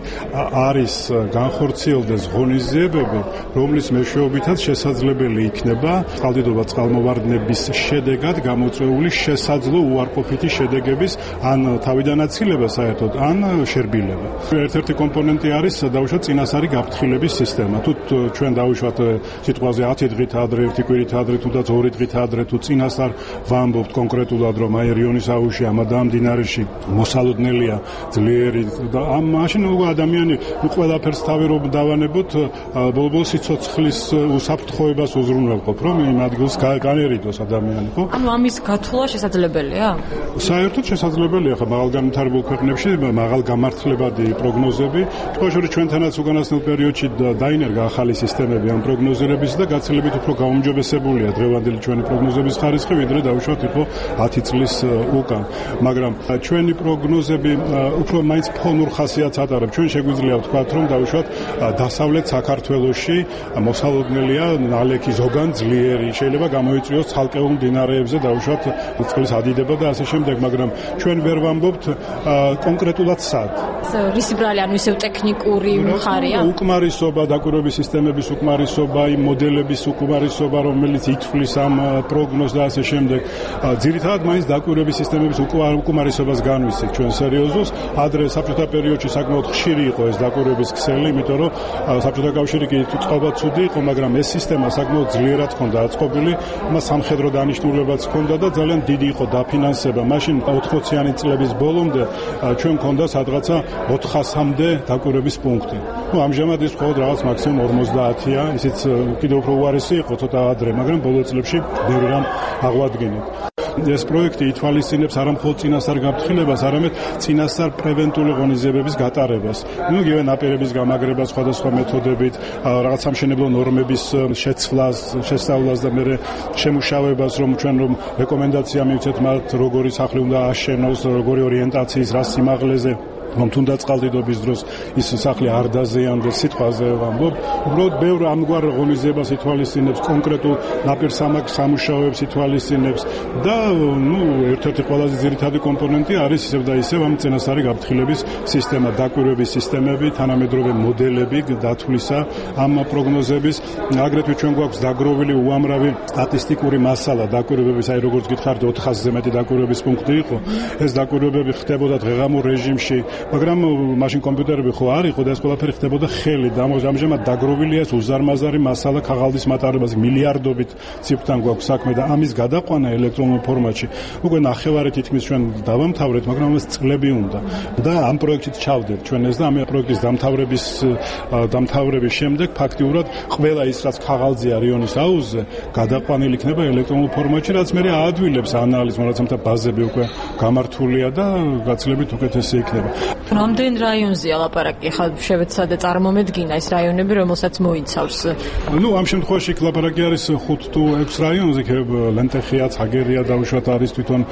არის განხორციელდეს ღონისძიებები, რომლის მეშვეობითაც შესაძლებელი იქნება წყალდიდობა წყალმოვარდნების შედეგად გამოწვეული შესაძლო უარყოფითი შედეგების ან თავიდანაცილება საერთოდ, ან შერბილება. ერთ-ერთი კომპონენტი არის დაუშვათ წინასწარი გაფრთხილების სისტემა. თუ ჩვენ დაუშვათ სიტყვაზე ათი დღით ადრე, ერთი კვირით ადრე, თუნდაც ორი დღით ადრე, თუ წინასწარ ვამბობთ კონკრეტულად, რომ აი რიონის აუზში ამ მდინარეში მოსალოდნელია ძლიერი და ამ მაშინ უკვე ადამიანი ყველაფერს თავი რომ დავანებოთ, ბოლო-ბოლო სიცოცხლის უსაფრთხოებას უზრუნველყოფ, რომ იმ ადგილს განერიდოს ადამიანი, ხო? ანუ ამის გათვლა შესაძლებელია? საერთოდ შესაძლებელია, ხო, მაღალგანვითარებულ ქვეყნებში მაღალ გამართლებადი პროგნოზები, თქო ჩვენთანაც უკანასკნელ პერიოდში დაინერგა ახალი სისტემები ამ პროგნოზირების და გაცილებით უფრო გაუმჯობესებულია დღევანდელი ჩვენი პროგნოზების ხარისხი, ვიდრე დაუშვათ იყო ათი წლის უკან. მაგრამ ჩვენი პროგნოზები უფრო მაინც ფონურ ხასიათს ატარებს. ჩვენ შეგვიძლია ვთქვათ, რომ დაუშვათ დასავლეთ საქართველოში მოსალოდნელია ნალექი ზოგან ძლიერი, შეიძლება გამოიწვიოს ცალკეულ მდინარეებზე დაუშვათ წყლის ადიდება და ასე შემდეგ, მაგრამ ჩვენ ვერ ვამბობთ კონკრეტულად სად. რისი ბრალი, ანუ ისევ ტექნიკური მხარეა? უკმარისობა, დაკვირვების სისტემების უკმარისობა, იმ მოდელების უკმარისობა, რომელიც ითვლის ამ პროგნოზს და ასე შემდეგ. ძირითადად მაინც დაკვირვების სისტემების უკმარისობას განვისით ჩვენ სერიოზულს. ადრე საბჭოთა პერიოდში საკმაოდ ხშირი იყო ეს დაკვირვების ქსელი, იმიტომ რომ საბჭოთა კავშირი კი წყობა ცუდი იყო, მაგრამ ეს სისტემა საკმაოდ ძლიერად ჰქონდა აწყობილი, მას სამხედრო დანიშნულებაც ჰქონდა და ძალიან დიდი იყო დაფინანსება. მაშინ ოთხმოციანი წლების ბოლომდე ჩვენ ჰქონდა სადღაცა ოთხასამდე დაკვირვების პუნქტი. ნუ ამჟამად ის მხოლოდ რაღაც მაქსიმუმ ორმოცდაათია, ისიც კიდევ უფრო უარესი იყო ცოტა ადრე, მაგრამ ბოლო წლებში ბევრი რამ აღვადგინეთ. ეს პროექტი ითვალისწინებს არა მხოლოდ წინასწარ გაფრთხილებას, არამედ წინასწარ პრევენტული ღონისძიებების გატარებას. ნუ იგივე ნაპირების გამაგრებას სხვადასხვა მეთოდებით, რაღაც სამშენებლო ნორმების შეცვლას, შესწავლას და მერე შემუშავებას, რომ ჩვენ რომ რეკომენდაცია მივცეთ მათ, როგორი სახლი უნდა აშენოს, როგორი ორიენტაციის რა სიმაღლეზე, რომ თუნდაც წყალდიდობის დროს ის სახლი არ დაზიანდეს, სიტყვაზე ვამბობ, უბრალოდ ბევრ ამგვარ ღონისძიებას ითვალისწინებს, კონკრეტულ ნაპირსამაგ სამუშაოებს ითვალისწინებს და ნუ ერთ-ერთი ყველაზე ძირითადი კომპონენტი არის ისევ და ისევ ამ წინასწარი გაფრთხილების სისტემა, დაკვირვების სისტემები, თანამედროვე მოდელები დათვლისა ამ პროგნოზების. აგრეთვე ჩვენ გვაქვს დაგროვილი უამრავი სტატისტიკური მასალა დაკვირვების, აი როგორც გითხარით ოთხასზე მეტი დაკვირვების პუნქტი იყო. ეს დაკვირვებები ხდებოდა დღეღამურ რეჟიმში, მაგრამ მაშინ კომპიუტერები ხო არ იყო და ეს ყველაფერი ხდებოდა ხელით. ამჟამად დაგროვილია ეს უზარმაზარი მასალა ქაღალდის მატარებაზე, მილიარდობით ციფრთან გვაქვს საქმე და ამის გადაყვანა ელექტრონულ ფორმატში უკვე ნახევარი თითქმის ჩვენ დავამთავრეთ, მაგრამ ამას წლები უნდა და ამ პროექტით ჩავდეთ ჩვენ ეს და ამ პროექტის დამთავრების დამთავრების შემდეგ ფაქტიურად ყველა ის რაც ქაღალდზეა რიონის აუზზე გადაყვანილი იქნება ელექტრონულ ფორმატში, რაც მე აადვილებს ანალიზს, როდესაც ბაზები უკვე გამართულია და გაცილებით უკეთესი იქნება. რამდენ რაიონზეა ლაპარაკი? ხა შევეცადე წარმომედგინა ეს რაიონები, რომელსაც მოიცავს. ნუ ამ შემთხვევაში ლაპარაკი არის ხუთ თუ ექვს რაიონზე, ლენტეხია, ცაგერია დაუშვათ არის თვითონ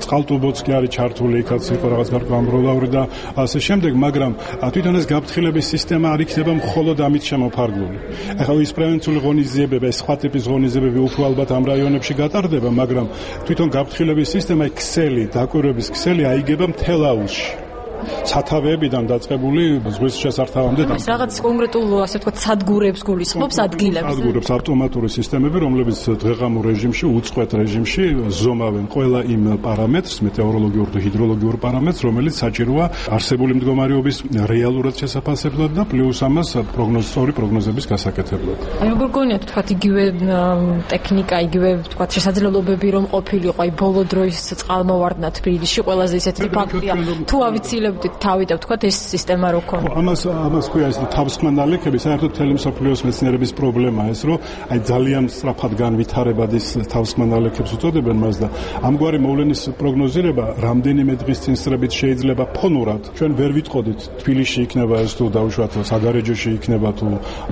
წყალტუბოც კი არის ჩართული, იქაც იყო რაღაც გარკვეულწილაური და ასე შემდეგ, მაგრამ თვითონ ეს გაფრთხილების სისტემა არ იქნება მხოლოდ ამით შემოფარგლული. ახლა ის პრევენციული ღონისძიებები, ეს სხვა ტიპის ღონისძიებები უფრო ალბათ ამ რაიონებში გატარდება, მაგრამ თვითონ გაფრთხილების სისტემა, ქსელი, დაკვირვების ქსელი აიგება მთელ აუზში. სათავეებიდან დაწყებული ზღვის შესართავამდე და რაღაც კონკრეტულ ასე ვთქვათ სადგურებს გულისხმობს ადგილებს. სადგურებს ავტომატური სისტემები, რომლებიც დღეღამურ რეჟიმში, უწყვეტ რეჟიმში ზომავენ ყველა იმ პარამეტრს, მეტეოროლოგიურ და ჰიდროლოგიურ პარამეტრს, რომელიც საჭიროა არსებული მდგომარეობის რეალურად შესაფასებლად და პლუს ამას პროგნოზისტორი პროგნოზების გასაკეთებლად. აი როგორ გონიათ ვთქვათ იგივე ტექნიკა, იგივე ვთქვათ შესაძლებლობები რომ ყოფილიყო აი ბოლო დროის წყალმოვარდნა თბილისში, ყველაზე ისეთი ფაქტია. თუ ავიცილებ თავი და ვთქვათ ეს სისტემა რო ქონდა. ამას ამას ქვია ეს თავსხმა ნალექები, საერთოდ მთელი მსოფლიოს მეცნიერების პრობლემაა ეს, რომ აი ძალიან სწრაფად განვითარებად ის თავსხმა ნალექებს უწოდებენ მას და ამგვარი მოვლენის პროგნოზირება რამდენიმე დღის წინსწრებით შეიძლება ფონურად. ჩვენ ვერ ვიტყოდით თბილისში იქნება ეს თუ დაუშვათ საგარეჯოში იქნება თუ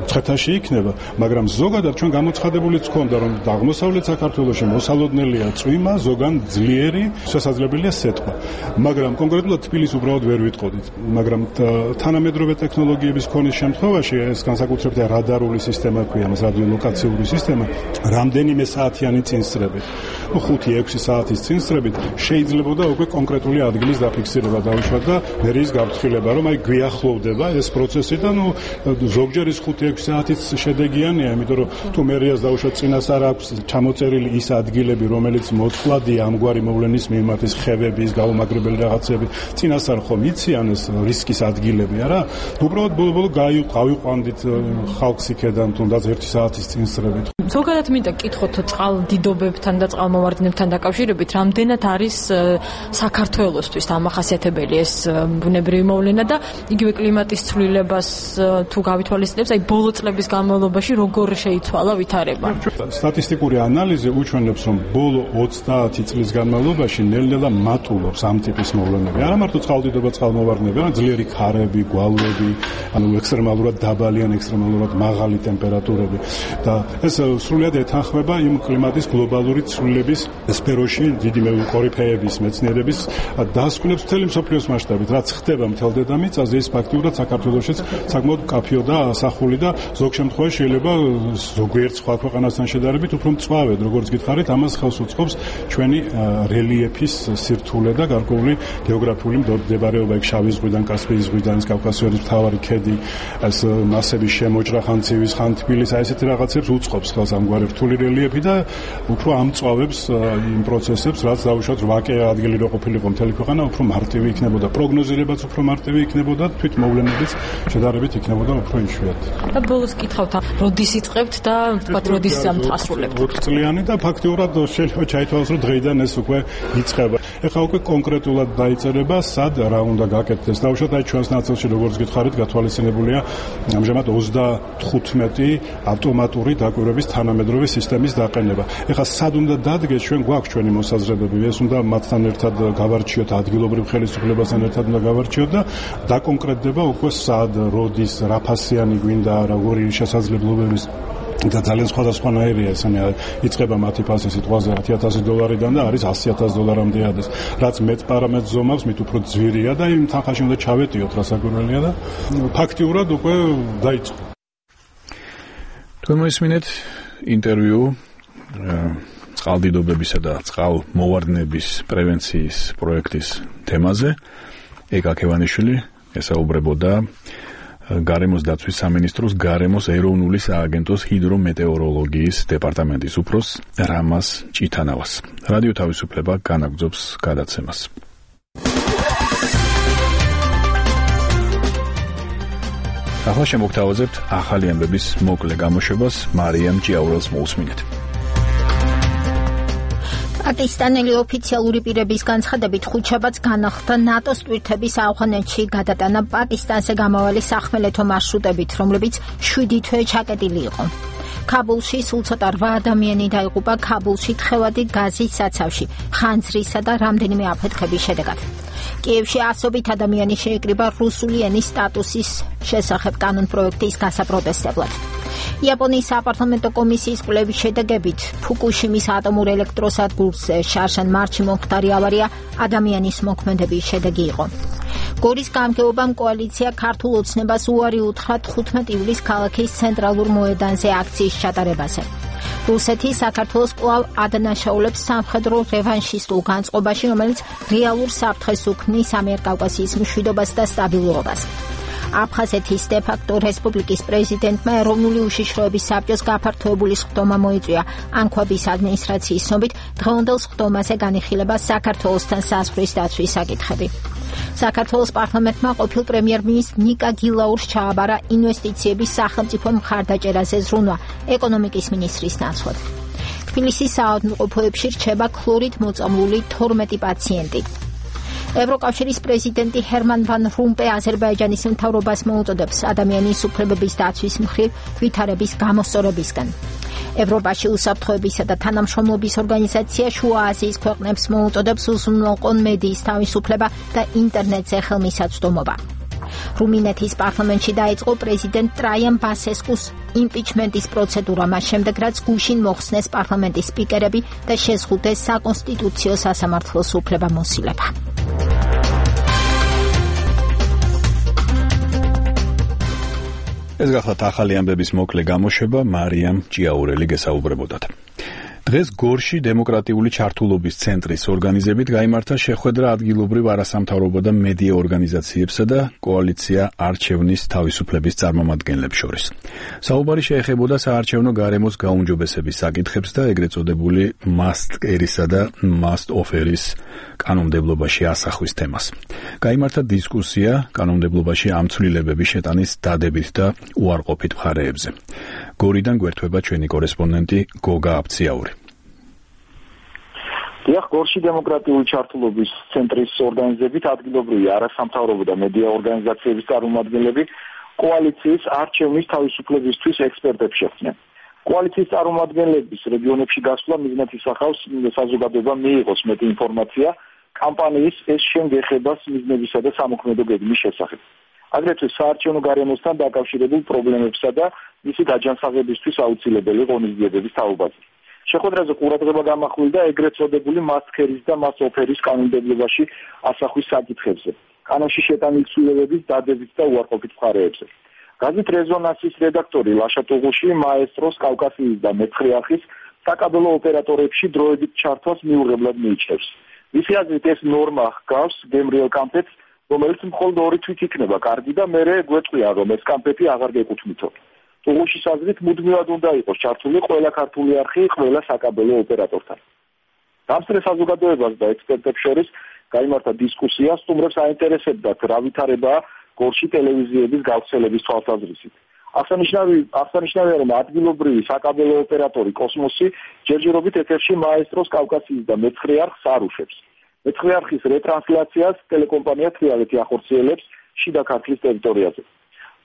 მცხეთაში იქნება, მაგრამ ზოგადად ჩვენ გამოცხადებულიც ჰქონდა რომ აღმოსავლეთ საქართველოში მოსალოდნელია წვიმა, ზოგან ძლიერი, შესაძლებელია სეტყვა. მაგრამ კონკრეტულად თბილისს უბრალოდ ვერ ვიტყოდით, მაგრამ თანამედროვე ტექნოლოგიების ქონის შემთხვევაში ეს განსაკუთრებით რადარული სისტემა ქვია, მას რადიოლოკაციური სისტემა, რამდენიმე საათიანი წინსწრებით, ну ხუთი ექვსი საათის წინსწრებით შეიძლებოდა უკვე კონკრეტული ადგილის დაფიქსირება დაუშვათ და მერის გაფრთხილება, რომ აი გვიახლოვდება ეს პროცესი და ну ზოგჯერ ის ხუთი ექვსი საათიც შედეგიანია, იმიტომ რომ თუ მერიას დაუშვათ წინასწარ აქვს ჩამოწერილი ის ადგილები, რომელიც მოწყვლადია ამგვარი მოვლენის მიმართ, ის ხევების, გაუმაგრებელი რაღაცები, წინასწარ ხომ იციან ეს რისკის ადგილები, არა? უბრალოდ ბოლო-ბოლო გავიყვანდით ხალხს იქედან თუნდაც ერთი საათის წინსწრებით. ზოგადად მინდა კითხოთ წყალდიდობებთან და წყალმოვარდნებთან დაკავშირებით, რამდენად არის საქართველოსთვის დამახასიათებელი ეს ბუნებრივი მოვლენა და იგივე კლიმატის ცვლილებას თუ გავითვალისწინებს, აი ბოლო წლების განმავლობაში როგორ შეიცვალა ვითარება. სტატისტიკური ანალიზი უჩვენებს, რომ ბოლო ოცდაათი წლის განმავლობაში ნელ-ნელა მატულობს ამ ტიპის მოვლენები. არა მარტო წყალდიდობა, წყალმოვარდნები, არამედ ძლიერი ქარები, გვალვები, ანუ ექსტრემალურად დაბალი ან ექსტრემალურად მაღალი ტემპერატურები და ეს სრულიად ეთანხმება იმ კლიმატის გლობალური ცვლილების სფეროში დიდი კორიფეების მეცნიერების დასკვნებს მთელი მსოფლიოს მასშტაბით, რაც ხდება მთელ დედამიწაზე, ის ფაქტიურად საქართველოშიც საკმაოდ მკაფიო და ასახული და ზოგ შემთხვევაში შეიძლება ზოგიერთ სხვა ქვეყანასთან შედარებით უფრო მწვავედ, როგორც გითხარით, ამას ხელს უწყობს ჩვენი რელიეფის სირთულე და გარკვეული გეოგრაფიული მდებარეობა იქ შავი ზღვიდან, კასპიის ზღვიდან, კავკასიონის მთავარი ქედი, ეს მასების შემოჭრა ხან ცივის, ხან თბილის, აი ესეთი რაღაცებს უწყობს ხელს ამგვარი რთული რელიეფი და უფრო ამწვავებს იმ პროცესებს, რაც დაუშვათ რვაკე ადგილი რო ყოფილიყო მთელი ქვეყანა, უფრო მარტივი იქნებოდა, პროგნოზირებაც უფრო მარტივი იქნებოდა, თვით მოვლენებიც შედარებით იქნებოდა უფრო იშვიათი. და ბოლოს კითხავთ, როდის იწყებთ და თქვათ როდის ასრულებთ? ოთხ წლიანი და ფაქტიურად შეიძლება ჩაითვალოს, რომ დღეიდან ეს უკვე იწყება. ეხლა უკვე კონკრეტულად დაიწერება, სად რა უნდა გაკეთდეს. დაუშვათ აი ჩვენს ნაწილში, როგორც გითხარით, გათვალისწინებულია ამჟამად ოცდათხუთმეტი ავტომატური დაკვირვების თანამედროვე სისტემის დაყენება. ეხლა სად უნდა დადგეს, ჩვენ გვაქვს ჩვენი მოსაზრებები, ეს უნდა მათთან ერთად გავარჩიოთ, ადგილობრივ ხელისუფლებასთან ერთად უნდა გავარჩიოთ და დაკონკრეტდება უკვე სად, როდის, რა ფასიანი გვინდა, როგორი შესაძლებლობების და ძალიან სხვადასხვანაირია ესენი იწყება მათი ფასი სიტყვაზე ათი ათასი დოლარიდან და არის ასი ათასი დოლარამდე ადეს. რაც მეტ პარამეტრს ზომავს, მით უფრო ძვირია და იმ თანხაში უნდა ჩავეტიოთ რა საკვირველია და ფაქტიურად უკვე დაიწყო. თქვენ მოისმინეთ ინტერვიუ წყალდიდობებისა და წყალმოვარდნების პრევენციის პროექტის თემაზე. ეკა ქევანიშვილი ესაუბრებოდა გარემოს დაცვის სამინისტროს გარემოს ეროვნული სააგენტოს ჰიდრომეტეოროლოგიის დეპარტამენტის უფროს რამაზ ჭითანავას. რადიო თავისუფლება განაგრძობს გადაცემას. ახლა შემოგთავაზებთ ახალი ამბების მოკლე გამოშვებას. მარიამ ჭიაურელს მოусმინეთ. პაკისტანელი ოფიციალური პირების განცხადებით ხუთშაბათს განახლდა ნატოს ტვირთების ავღანეთში გადატანა პაკისტანზე გამავალი სახმელეთო მარშრუტებით, რომლებიც შვიდი თვე ჩაკეტილი იყო. ქაბულში სულ ცოტა რვა ადამიანი დაიღუპა ქაბულში თხევადი გაზის საცავში, ხანძრისა და რამდენიმე აფეთქების შედეგად. კიევში ასობით ადამიანი შეიკრიბა რუსული ენის სტატუსის შესახებ კანონპროექტის გასაპროტესტებლად. იაპონიის საპარლამენტო კომისიის კვლევის შედეგებით ფუკუშიმის ატომურ ელექტროსადგურზე შარშან მარტში მომხდარი ავარია ადამიანის მოქმედების შედეგი იყო. გორის გამგეობამ კოალიცია ქართულ ოცნებას უარი უთხრა თხუთმეტი ივლისს ქალაქის ცენტრალურ მოედანზე აქციის ჩატარებაზე. რუსეთი საქართველოს კვლავ ადანაშაულებს სამხედრო რევანშისტულ განწყობაში, რომელიც რეალურ საფრთხეს უქმნის ამიერკავკასიის მშვიდობას და სტაბილურობას. აფხაზეთის დე-ფაქტო რესპუბლიკის პრეზიდენტმა ეროვნული უშიშროების საბჭოს გაფართოებული სხდომა მოიწვია. ანქვაბის ადმინისტრაციის ცნობით, დღევანდელ სხდომაზე განიხილება საქართველოსთან საზღვრის დაცვის საკითხები. საქართველოს პარლამენტმა ყოფილ პრემიერ-მინისტრ ნიკა გილაურს ჩააბარა ინვესტიციების სახელმწიფო მხარდაჭერაზე ზრუნვა ეკონომიკის მინისტრის ნაცვლად. თბილისის საავადმყოფოებში რჩება ქლორით მოწამლული თორმეტი პაციენტი. ევროკავშირის პრეზიდენტი ჰერმან ვან რომპე აზერბაიჯანის მთავრობას მოუწოდებს ადამიანის უფლებების დაცვის მხრივ ვითარების გამოსწორებისგან. ევროპაში უსაფრთხოებისა და თანამშრომლობის ორგანიზაცია შუა აზიის ქვეყნებს მოუწოდებს უზრუნველყონ მედიის თავისუფლება და ინტერნეტზე ხელმისაწვდომობა. რუმინეთის პარლამენტში დაიწყო პრეზიდენტ ტრაიან ბასესკუს იმპიჩმენტის პროცედურა, მას შემდეგ რაც გუშინ მოხსნეს პარლამენტის სპიკერები და შეზღუდეს საკონსტიტუციო სასამართლოს უფლებამოსილება. ეს გახლავთ ახალი ამბების მოკლე გამოშვება. მარიამ ჭიაურელი გესაუბრებოდათ. დღეს გორში დემოკრატიული ჩართულობის ცენტრის ორგანიზებით გაიმართა შეხვედრა ადგილობრივ არასამთავრობო და მედია ორგანიზაციებსა და კოალიცია არჩევნის თავისუფლების წარმომადგენლებს შორის. საუბარი შეეხებოდა საარჩევნო გარემოს გაუმჯობესების საკითხებს და ეგრეთ წოდებული must carry-სა და must offer-ის კანონმდებლობაში ასახვის თემას. გაიმართა დისკუსია კანონმდებლობაში ამ ცვლილებების შეტანის დადებით და უარყოფით მხარეებზე. გორიდან გვერდება ჩვენი კორესპონდენტი გოგა აბციაური. დიახ, გორში დემოკრატიული ჩართულობის ცენტრის ორგანიზებით ადგილობრივი არასამთავრობო და მედია ორგანიზაციების წარმომადგენლები კოალიციის არჩევნის თავისუფლებისთვის ექსპერტებს შეხვდნენ. კოალიციის წარმომადგენლების რეგიონებში გასვლა მიზნად ისახავს საზოგადოება მიიღოს მეტი ინფორმაცია კამპანიის ეს შემგეხებას მიზნებისა და სამოქმედო გეგმის შესახებ. აგრეთვე საარჩევნო გარემოსთან დაკავშირებულ პრობლემებსა და მისი დაჯანსაღებისთვის აუცილებელი ღონისძიებების თაობაზე. შეხვედრაზე ყურადღება გამახვილდა ეგრეთ წოდებული მასქერის და მასოფერის კანონმდებლობაში ასახვის საკითხებზე, კანონში შეტანილი ცვლილებების დადებით და უარყოფით მხარეებზე. გაზეთ რეზონანსის რედაქტორი ლაშა ტუღუში მაესტროს კავკასიის და მეცხრე არხის საკაბელო ოპერატორებში დროებით ჩართვას მიუღებლად მიიჩნევს. მისი აზრით ეს ნორმა ჰგავს გემრიელ კამპეტს, რომელიც მხოლოდ ორი თვით იქნება კარგი და მერე გვეწყვია, რომ ეს კამპეტი აღარ გეკუთვნითო. ტუღუშის აზრით მუდმივად უნდა იყოს ჩართული ყველა ქართული არხი ყველა საკაბელო ოპერატორთან. დამსწრე საზოგადოებას და ექსპერტებს შორის გაიმართა დისკუსია, სტუმრებს აინტერესებდათ რა ვითარებაა გორში ტელევიზიების გავრცელების თვალსაზრისით. აღსანიშნავია, რომ ადგილობრივი საკაბელო ოპერატორი კოსმოსი ჯერჯერობით ეთერში მაესტროს კავკასიის და მეცხრე არხს არ უშვებს. მეცხრე არხის რეტრანსლაციას ტელეკომპანია თრიალეთი ახორციელებს შიდა ქართლის ტერიტორიაზე.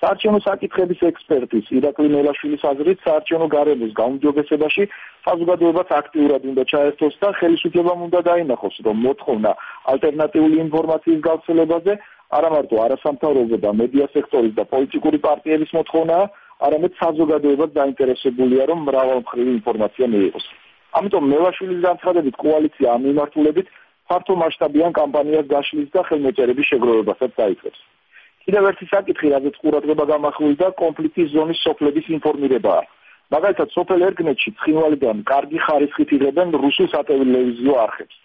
საარჩევნო საკითხების ექსპერტის ირაკლი მელაშვილის აზრით, საარჩევნო გარემოს გაუმჯობესებაში საზოგადოებას აქტიურად უნდა ჩაერთოს და ხელისუფლებამ უნდა დაინახოს, რომ მოთხოვნა ალტერნატიული ინფორმაციის გავრცელებაზე არა მარტო არასამთავრობო და მედია სექტორის და პოლიტიკური პარტიების მოთხოვნაა, არამედ საზოგადოებაც დაინტერესებულია, რომ მრავალმხრივი ინფორმაცია მიიღოს. ამიტომ მელაშვილის განცხადებით კოალიცია ამ მიმართულებით ფართო მასშტაბიან კამპანიას გაშლის და ხელმოწერების შეგროვებასაც დაიწყებს. კიდევ ერთი საკითხი, რაზეც ყურადღება გამახვილდა, კონფლიქტის ზონის სოფლების ინფორმირებაა. მაგალითად, სოფელ ერგნეთში ცხინვალიდან კარგი ხარისხით იღებენ რუსულ სატელევიზიო არხებს.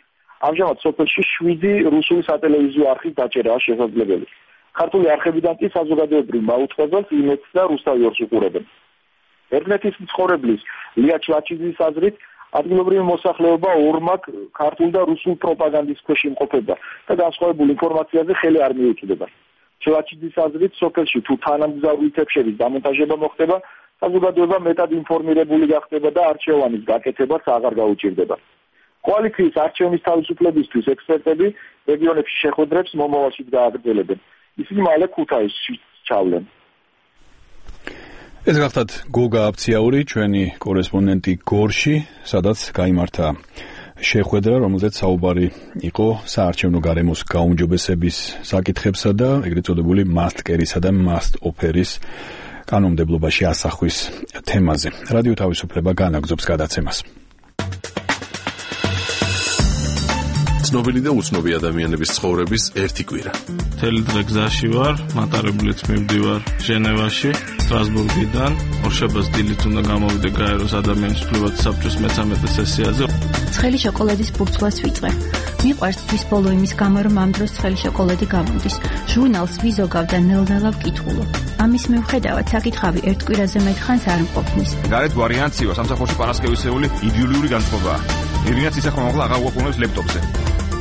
ამჟამად სოფელში შვიდი რუსული სატელევიზიო არხის დაჭერაა შესაძლებელი. ქართული არხებიდან კი საზოგადოებრივ მაუწყებელს იმედს და რუსთავიორს უყურებენ. ერგნეთის მცხოვრებლის ლია ჩლაჩიძის აზრით, ადგილობრივი მოსახლეობა ორმაგ ქართულ და რუსულ პროპაგანდის ქვეშ იმყოფება და განსხვავებულ ინფორმაციაზე ხელი არ მიუწვდება. ჩლაჩიძის აზრით, სოფელში თუ თანამგზავრი თებშერის დამონტაჟება მოხდება, საზოგადოება მეტად ინფორმირებული გახდება და არჩევანის გაკეთებაც აღარ გაუჭირდება. კოალიციის არჩევნის თავისუფლებისთვის ექსპერტები რეგიონებში შეხვედრებს მომავალშიც გააგრძელებენ. ისინი მალე ქუთაისში ჩავლენ. ეს გახლავთ გოგა აბციაური, ჩვენი კორესპონდენტი გორში, სადაც გაიმართა შეხვედრა, რომელზეც საუბარი იყო საარჩევნო გარემოს გაუმჯობესების საკითხებსა და ეგრეთ წოდებული მასტკერისა და მასტ-ოფერის კანონმდებლობაში ასახვის თემაზე. რადიო თავისუფლება განაგრძობს გადაცემას. ცნობილი და უცნობი ადამიანების ცხოვრების ერთი კვირა. მთელი დღე გზაში ვარ, მატარებლით მივდივარ ჟენევაში, სტრასბურგიდან, ორშაბათს დილით უნდა გამოვიდე გაეროს ადამიანის უფლებათა საბჭოს მეთორმეტე სესიაზე. ცხელი შოკოლადის ბურცვლას ვიწყე. მიყვარს თვის ბოლო იმის გამო, რომ ამ დროს ცხელი შოკოლადი გამოდის. ჟურნალს ვიზოგავ და ნელ-ნელა ვკითხულობ. ამის მიუხედავად საკითხავი ერთ კვირაზე მეტხანს არ მყოფნის. გარეთ ვარიანციო სამსახურში პარასკევისეული იდეოლოგიური განწყობაა. ირინაც ისახმა მაღლა აღარ უყურებს ლეპტოპზე.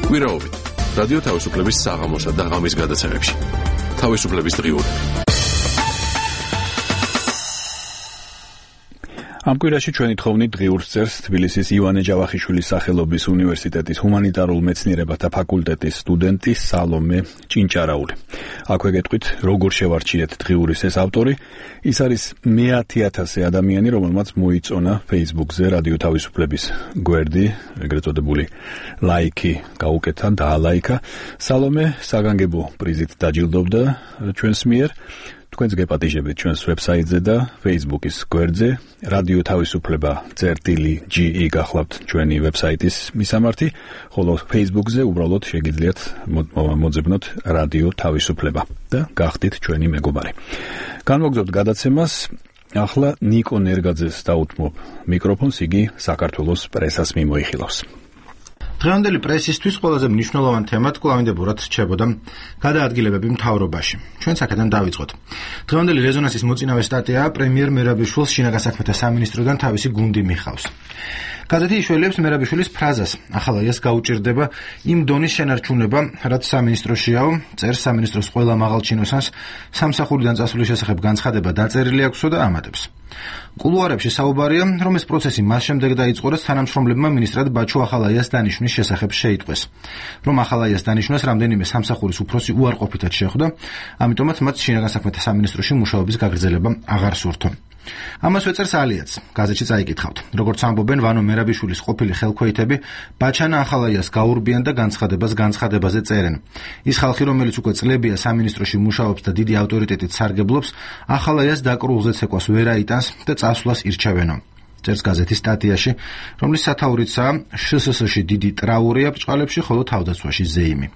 კვირაობით რადიო თავისუფლების საღამოსა და ღამის გადაცემებში. თავისუფლების დღიური. ამ კვირაში ჩვენი თხოვნით დღიურს წერს თბილისის ივანე ჯავახიშვილის სახელობის უნივერსიტეტის ჰუმანიტარულ მეცნიერებათა ფაკულტეტის სტუდენტი სალომე ჭინჭარაული. აქვე გეტყვით, როგორ შევარჩიეთ დღიურის ეს ავტორი. ის არის მეათი ათასი ადამიანი, რომელმაც მოიწონა Facebook-ზე რადიო თავისუფლების გვერდი, ეგრეთ წოდებული ლაიქი გაუკეთა და ალაიქა. სალომე საგანგებო პრიზით დაჯილდოვდა ჩვენს მიერ. თქვენს გეპატიჟებით ჩვენს ვებსაიტზე და Facebook-ის გვერდზე რადიო თავისუფლება წერტილი ჯი ი გახლავთ ჩვენი ვებსაიტის მისამართი, ხოლო Facebook-ზე უბრალოდ შეგიძლიათ მოძებნოთ რადიო თავისუფლება და გახდით ჩვენი მეგობარი. განმოგზავნოთ გადაცემას. ახლა ნიკო ნერგაძეს დაუთმობ მიკროფონს, იგი საქართველოს პრესას მიმოიხილავს. დღევანდელი პრესისთვის ყველაზე მნიშვნელოვანი თემად კვლავინდებურად რჩებოდა გადაადგილებები მთავრობაში. ჩვენ აქედან დავიწყოთ. დღევანდელი რეზონანსის მოწინავე სტატიაა პრემიერ მერაბიშვილს შინაგან საქმეთა სამინისტროდან თავისი გუნდი მიხავს. გაზეთი იშველებს მერაბიშვილის ფრაზას: ახალაიას გაუჭირდება იმ დონის შენარჩუნება, რაც სამინისტროშიაო, წერს სამინისტროს ყველა მაღალ ჩინოსანს სამსახურიდან წასვლის შესახებ განცხადება დაწერილი აქვსო და ამატებს. კულუარებში საუბარია, რომ ეს პროცესი მას შემდეგ დაიწყო, რაც თანამშრომლებმა მინისტრად ბაჩუ ახალაიას დანიშვნის შესახებ შეიტყვეს. რომ ახალაიას დანიშვნას რამდენიმე სამსახურის უფროსი უარყოფითად შეხვდა, ამიტომაც მათ შინაგან საქმეთა სამინისტროში მუშაობის გაგრძელება აღარ სურთო. ამას ვეწერს ალიაც. გაზეთში წაიკითხავთ. როგორც ამბობენ ვანო მერაბიშვილის ყოფილი ხელქვეითები, ბაჩანა ახალაიას გაურბიან და განცხადებას განცხადებაზე წერენ. ის ხალხი, რომელიც უკვე წლებია სამინისტროში მუშაობს და დიდი ავტორიტეტით სარგებლობს, ახალაიას დაკრულზე ცეკვას ვერ აიტანს და წასვლას ირჩევენო. წერს გაზეთის სტატიაში, რომლის სათაურიცაა შსს-ში დიდი ტრაურია ბრჭყალებში, ხოლო თავდაცვაში ზეიმი.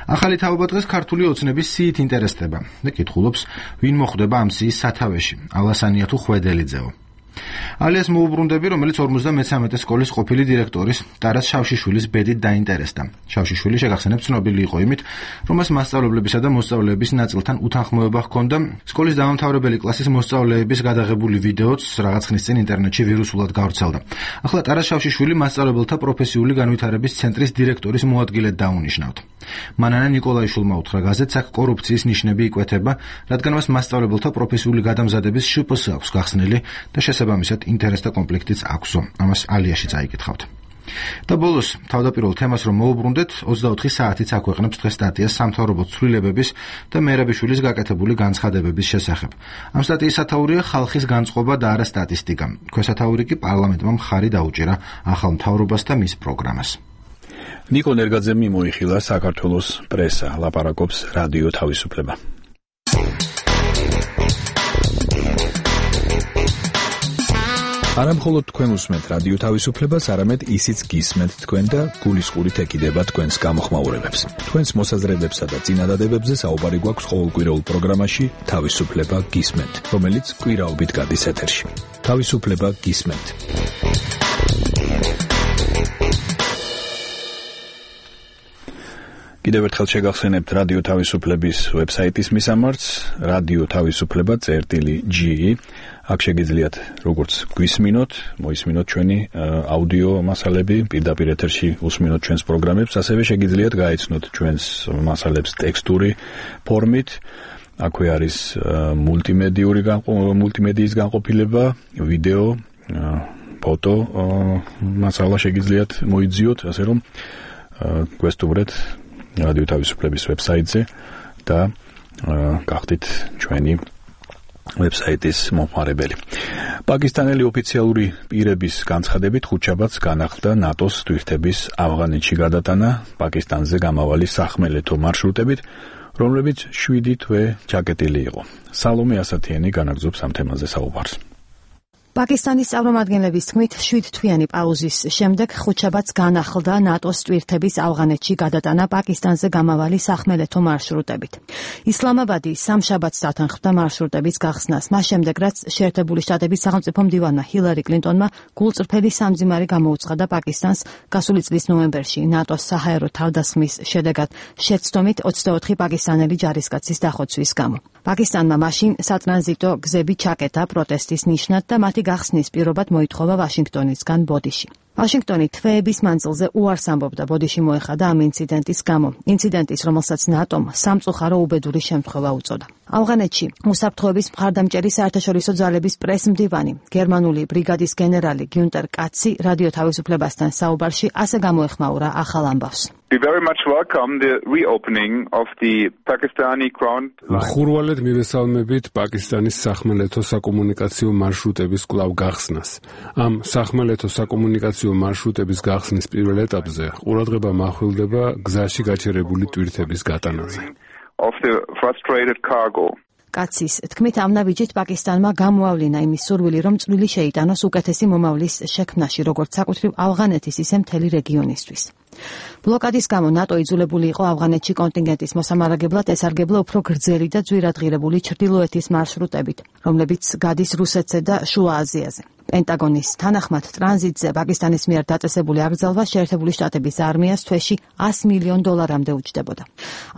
ახალი თაობა დღეს ქართული ოცნების სიით ინტერესდება და კითხულობს, ვინ მოხვდება ამ სიის სათავეში, ალასანია თუ ხვედელიძეო. ალიას მოუბრუნდები, რომელიც ორმოცდამესამე სკოლის ყოფილი დირექტორის ტარას შავშიშვილის ბედით დაინტერესდა. შავშიშვილი შეგახსენებთ ცნობილი იყო იმით, რომ მას მასწავლებლებისა და მოსწავლეების ნაწილთან უთანხმოება ჰქონდა. სკოლის დამამთავრებელი კლასის მოსწავლეების გადაღებული ვიდეოც რაღაც ხნის წინ ინტერნეტში ვირუსულად გავრცელდა. ახლა ტარას შავშიშვილი მასწავლებელთა პროფესიული განვითარების ცენტრის დირექტორის მოადგილედ დაუნიშნავთ. მანანა ნიკოლაიშვილმა უთხრა გაზეთს, აქ კორუფციის ნიშნები იკვეთება, რადგან მას მასწავლებელთა პროფესიული გადამზადების შპს აქვს გახსნილი და შესაბამისად ინტერესთა კონფლიქტიც აქვსო. ამას ალიაში წაიკითხავთ. და ბოლოს თავდაპირველ თემას რომ მოუბრუნდეთ, ოცდაოთხი საათიც აქვეყნებს დღეს სტატიას სამთავრობო ცვლილებების და მერაბიშვილის გაკეთებული განცხადებების შესახებ. ამ სტატიის სათაურია ხალხის განწყობა და არა სტატისტიკა. ქვესათაური კი პარლამენტმა მხარი დაუჭირა ახალ მთავრობას და მის პროგრამას. ნიკო ნერგაძე მიმოიხილა საქართველოს პრესა, ლაპარაკობს რადიო თავისუფლება. არა მხოლოდ თქვენ უსმენთ რადიო თავისუფლებას, არამედ ისიც გისმენთ თქვენ და გულისყურით ეკიდება თქვენს გამოხმაურებებს. თქვენს მოსაზრებებსა და წინადადებებზე საუბარი გვაქვს ყოველკვირეულ პროგრამაში თავისუფლება გისმენთ, რომელიც კვირაობით გადის ეთერში. თავისუფლება გისმენთ. კიდევ ერთხელ შეგახსენებთ რადიო თავისუფლების ვებსაიტის მისამართს, რადიო თავისუფლება წერტილი ჯი. აქ შეგიძლიათ როგორც გვისმინოთ, მოისმინოთ ჩვენი აუდიო მასალები, პირდაპირ ეთერში უსმინოთ ჩვენს პროგრამებს, ასევე შეგიძლიათ გაეცნოთ ჩვენს მასალებს ტექსტური ფორმით. აქვე არის მულტიმედიური მულტიმედიის განყოფილება, ვიდეო, ფოტო მასალა შეგიძლიათ მოიძიოთ, ასე რომ გვესტუმრეთ რადიო თავისუფლების ვებსაიტზე და გახდით ჩვენი ვებსაიტის მომხმარებელი. პაკისტანელი ოფიციალური პირების განცხადებით ხუთშაბათს განახლდა ნატოს თვითების ავღანეთში გადატანა პაკისტანზე გამავალი სახმელეთო მარშრუტებით, რომლებიც შვიდი თვე ჩაკეტილი იყო. სალომე ასათიანი განაგრძობს ამ თემაზე საუბარს. პაკისტანის წარმომადგენლების თქმით, შვიდთვიანი პაუზის შემდეგ ხუთშაბათს განახლდა ნატოს ტვირთების ავღანეთში გადატანა პაკისტანზე გამავალი სახმელეთო მარშრუტებით. ისლამაბადი სამშაბათს დათანხმდა მარშრუტების გახსნას, მას შემდეგ რაც შეერთებული შტატების სახელმწიფო მდივანმა ჰილარი კლინტონმა გულწრფელი სამძიმარი გამოუცხადა პაკისტანს გასული წლის ნოემბერში ნატოს საჰაერო თავდასხმის შედეგად შეცდომით ოცდაოთხი პაკისტანელი ჯარისკაცის დახოცვის გამო. პაკისტანმა მაშინ სატრანზიტო გზები ჩაკეტა პროტესტის ნიშნად და მათი გახსნის პირობად მოითხოვა ვაშინგტონისგან ბოდიში. ვაშინგტონი თვეების მანძილზე უარს ამბობდა ბოდიში მოეხადა ამ ინციდენტის გამო. ინციდენტის, რომელსაც ნატომ სამწუხარო უბედური შემთხვევა უწოდა. ავღანეთში უსაფრთხოების მხარდამჭერი საერთაშორისო ძალების პრესმდივანი, გერმანული ბრიგადის გენერალი გიუნტერ კაცი რადიო თავისუფლებასთან საუბარში ასე გამოეხმაურა ახალ ამბავს. We very much welcome the reopening of the Pakistani ground line. ხურვალედ მივესალმებით პაკისტანის სახმელეთო საკომუნიკაციო მარშრუტების კვლავ გახსნას. ამ სახმელეთო საკომუნიკაციო მარშრუტების გახსნის პირველ ეტაპზე ყურადღება მახვილდება გზაში გაჩერებული ტვირთების გატანაზე. Of the frustrated cargo. კაცის თქმით, ამ ნაბიჯით პაკისტანმა გამოავლინა იმის სურვილი, რომ წვლილი შეიტანოს უკეთესი მომავლის შექმნაში, როგორც საკუთრივ ავღანეთის, ისე მთელი რეგიონისთვის. ბლოკადის გამო ნატო იძულებული იყო ავღანეთში კონტინგენტის მოსამარაგებლად ესარგებლა უფრო გრძელი და ძვირადღირებული ჩრდილოეთის მარშრუტებით, რომლებიც გადის რუსეთზე და შუა აზიაზე. პენტაგონის თანახმად ტრანზიტზე პაკისტანის მიერ დაწესებული აკრძალვა შეერთებული შტატების არმიას თვეში ას მილიონ დოლარამდე უჯდებოდა.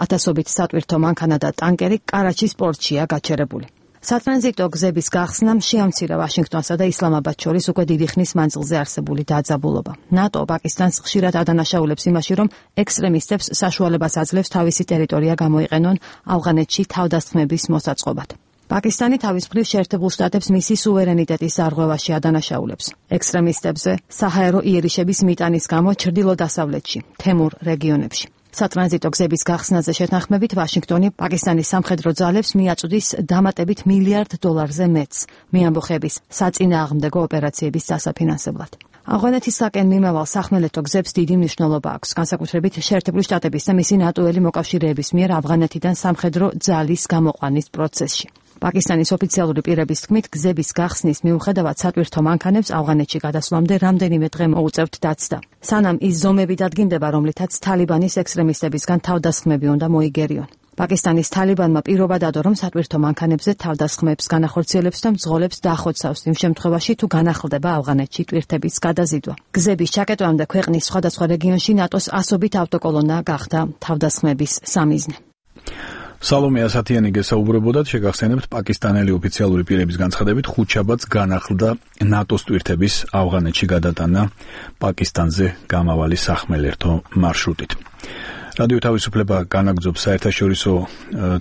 ათასობით სატვირთო მანქანა და ტანკერი კარაჩის პორტშია გაჩერებული. სატრანზიტო გზების გახსნამ შეამცირა ვაშინგტონსა და ისლამაბადს შორის უკვე დიდი ხნის მანძილზე არსებული დაძაბულობა. ნატო პაკისტანს ხშირად ადანაშაულებს იმაში, რომ ექსტრემისტებს საშუალებას აძლევს თავისი ტერიტორია გამოიყენონ ავღანეთში თავდასხმების მოსაწყობად. პაკისტანი თავის მხრივ შეერთებულ შტატებს მისი სუვერენიტეტის დარღვევაში ადანაშაულებს. ექსტრემისტებზე საჰაერო იერიშების მიტანის გამო ჩრდილო-დასავლეთში, თემურ რეგიონებში. სატრანზიტო გზების გახსნაზე შეთანხმებით ვაშინგტონი პაკისტანის სამხედრო ძალებს მიაწვდის დამატებით მილიარდ დოლარზე მეტს მეამბოხების საწინააღმდეგო ოპერაციების დასაფინანსებლად. ავღანეთისაკენ მიმავალ სახმელეთო გზებს დიდი მნიშვნელობა აქვს, განსაკუთრებით შეერთებული შტატების და მისი ნატოელი მოკავშირეების მიერ ავღანეთიდან სამხედრო ძალის გამოყვანის პროცესში. პაკისტანის ოფიციალური პირების თქმით, გზების გახსნის მიუხედავად სატვირთო მანქანებს ავღანეთში გადასვლამდე რამდენიმე დღე მოუწევთ დაცდა. სანამ ის ზომები დადგინდება, რომლითაც თალიბანის ექსტრემისტებისგან თავდასხმები უნდა მოიგერიონ. პაკისტანის თალიბანმა პირობა დადო, რომ სატვირთო მანქანებზე თავდასხმებს განახორციელებს და მძღოლებს დაახოცავს იმ შემთხვევაში, თუ განახლდება ავღანეთში ტვირთების გადაზიდვა. გზების ჩაკეტვამდე ქვეყნის სხვადასხვა რეგიონში ნატოს ასობით ავტოკოლონა გახდა თავდასხმების სამიზნე. სალომე ასათიანი გესაუბრებოდათ, შეგახსენებთ პაკისტანელი ოფიციალური პირების განცხადებით, ხუთშაბათს განახლდა ნატოს ტვირთების ავღანეთში გადატანა პაკისტანზე გამავალი სახმელეთო მარშრუტით. რადიო თავისუფლება განაგრძობს საერთაშორისო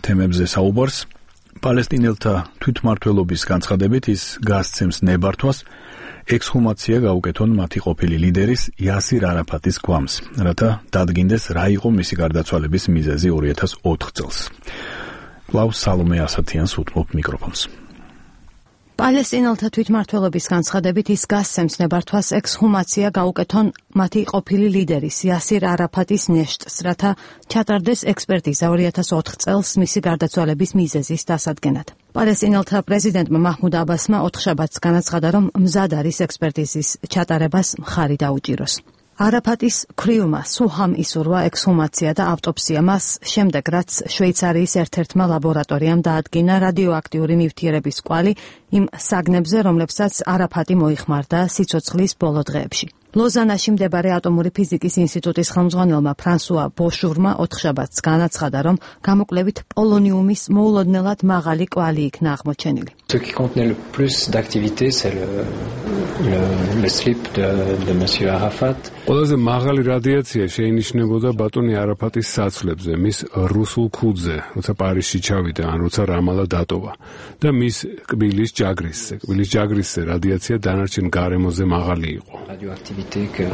თემებზე საუბარს. პალესტინელთა თვითმმართველობის განცხადებით ის გასცემს ნებართვას ექსჰუმაცია გაუკეთონ მათი ყოფილი ლიდერის იასირ არაფატის გვამს, რათა დადგინდეს რა იყო მისი გარდაცვალების მიზეზი ორი ათას ოთხ წელს. კლაუს სალომე ასათიანს უთმობ მიკროფონს. პალესტინელთა თვითმმართველობის განცხადებით ის გასცემს ნებართვას ექსჰუმაცია გაუკეთონ მათი ყოფილი ლიდერის იასირ არაფატის ნეშტს, რათა ჩატარდეს ექსპერტიზა ორი ათას ოთხ წელს მისი გარდაცვალების მიზეზის დასადგენად. პალესტინელთა პრეზიდენტმა მაჰმუდ აბასმა ოთხშაბათს განაცხადა, რომ მზად არის ექსპერტიზის ჩატარებას მხარი დაუჭიროს. არაფატის ქვრივმა სუჰამ ისურვა ექსჰუმაცია და ავტოპსია მას შემდეგ, რაც შვეიცარიის ერთ-ერთმა ლაბორატორიამ დაადგინა რადიოაქტიური ნივთიერების კვალი იმ საგნებზე, რომლებსაც არაფატი მოიხმარდა სიცოცხლის ბოლო დღეებში. ლოზანაში მდებარე ატომური ფიზიკის ინსტიტუტის ხელმძღვანელმა ფრანსუა ბოშურმა ოთხშაბათს განაცხადა, რომ გამოკვლევით პოლონიუმის მოულოდნელად მაღალი კვალი იქნა აღმოჩენილი. Ce qui contenait le plus d'activité, c'est le, le, le slip de, de monsieur Arafat. ყველაზე მაღალი რადიაცია შეინიშნებოდა ბატონი არაფატის საცვლებზე, მის რუსულ ქუდზე, როცა პარიზში ჩავიდა, ან როცა რამალა დატოვა და მის კბილის ჯაგრისზე. კბილის ჯაგრისზე რადიაცია დანარჩენ გარემოზე მაღალი იყო. Radioactivité que,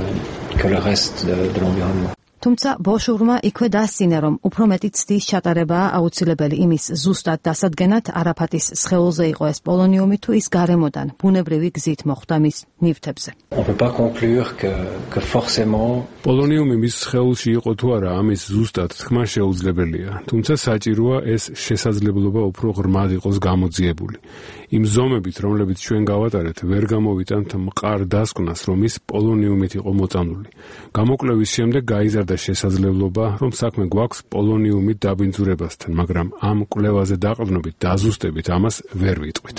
que le reste de, de l'environnement. თუმცა ბოშურმა იქვე დასცინა, რომ უფრო მეტი ცდის ჩატარებაა აუცილებელი იმის ზუსტად დასადგენად არაფატის სხეულზე იყო ეს პოლონიუმი, თუ ის გარემოდან ბუნებრივი გზით მოხვდა მის ნივთებზე. On peut pas conclure que que forcément პოლონიუმი მის სხეულში იყო თუ არა, ამის ზუსტად თქმა შეუძლებელია, თუმცა საჭიროა ეს შესაძლებლობა უფრო ღრმად იყოს გამოძიებული. იმ ზომებით, რომლებიც ჩვენ გავატარეთ, ვერ გამოვიტანთ მყარ დასკვნას, რომ ის პოლონიუმით იყო მოწამლული. გამოკვლევის შემდეგ გაიზარდა შესაძლებლობა, რომ საქმე გვაქვს პოლონიუმით დაბინძურებასთან, მაგრამ ამ კვლევაზე დაყრდნობით და აზუსტებით ამას ვერ ვიტყვით.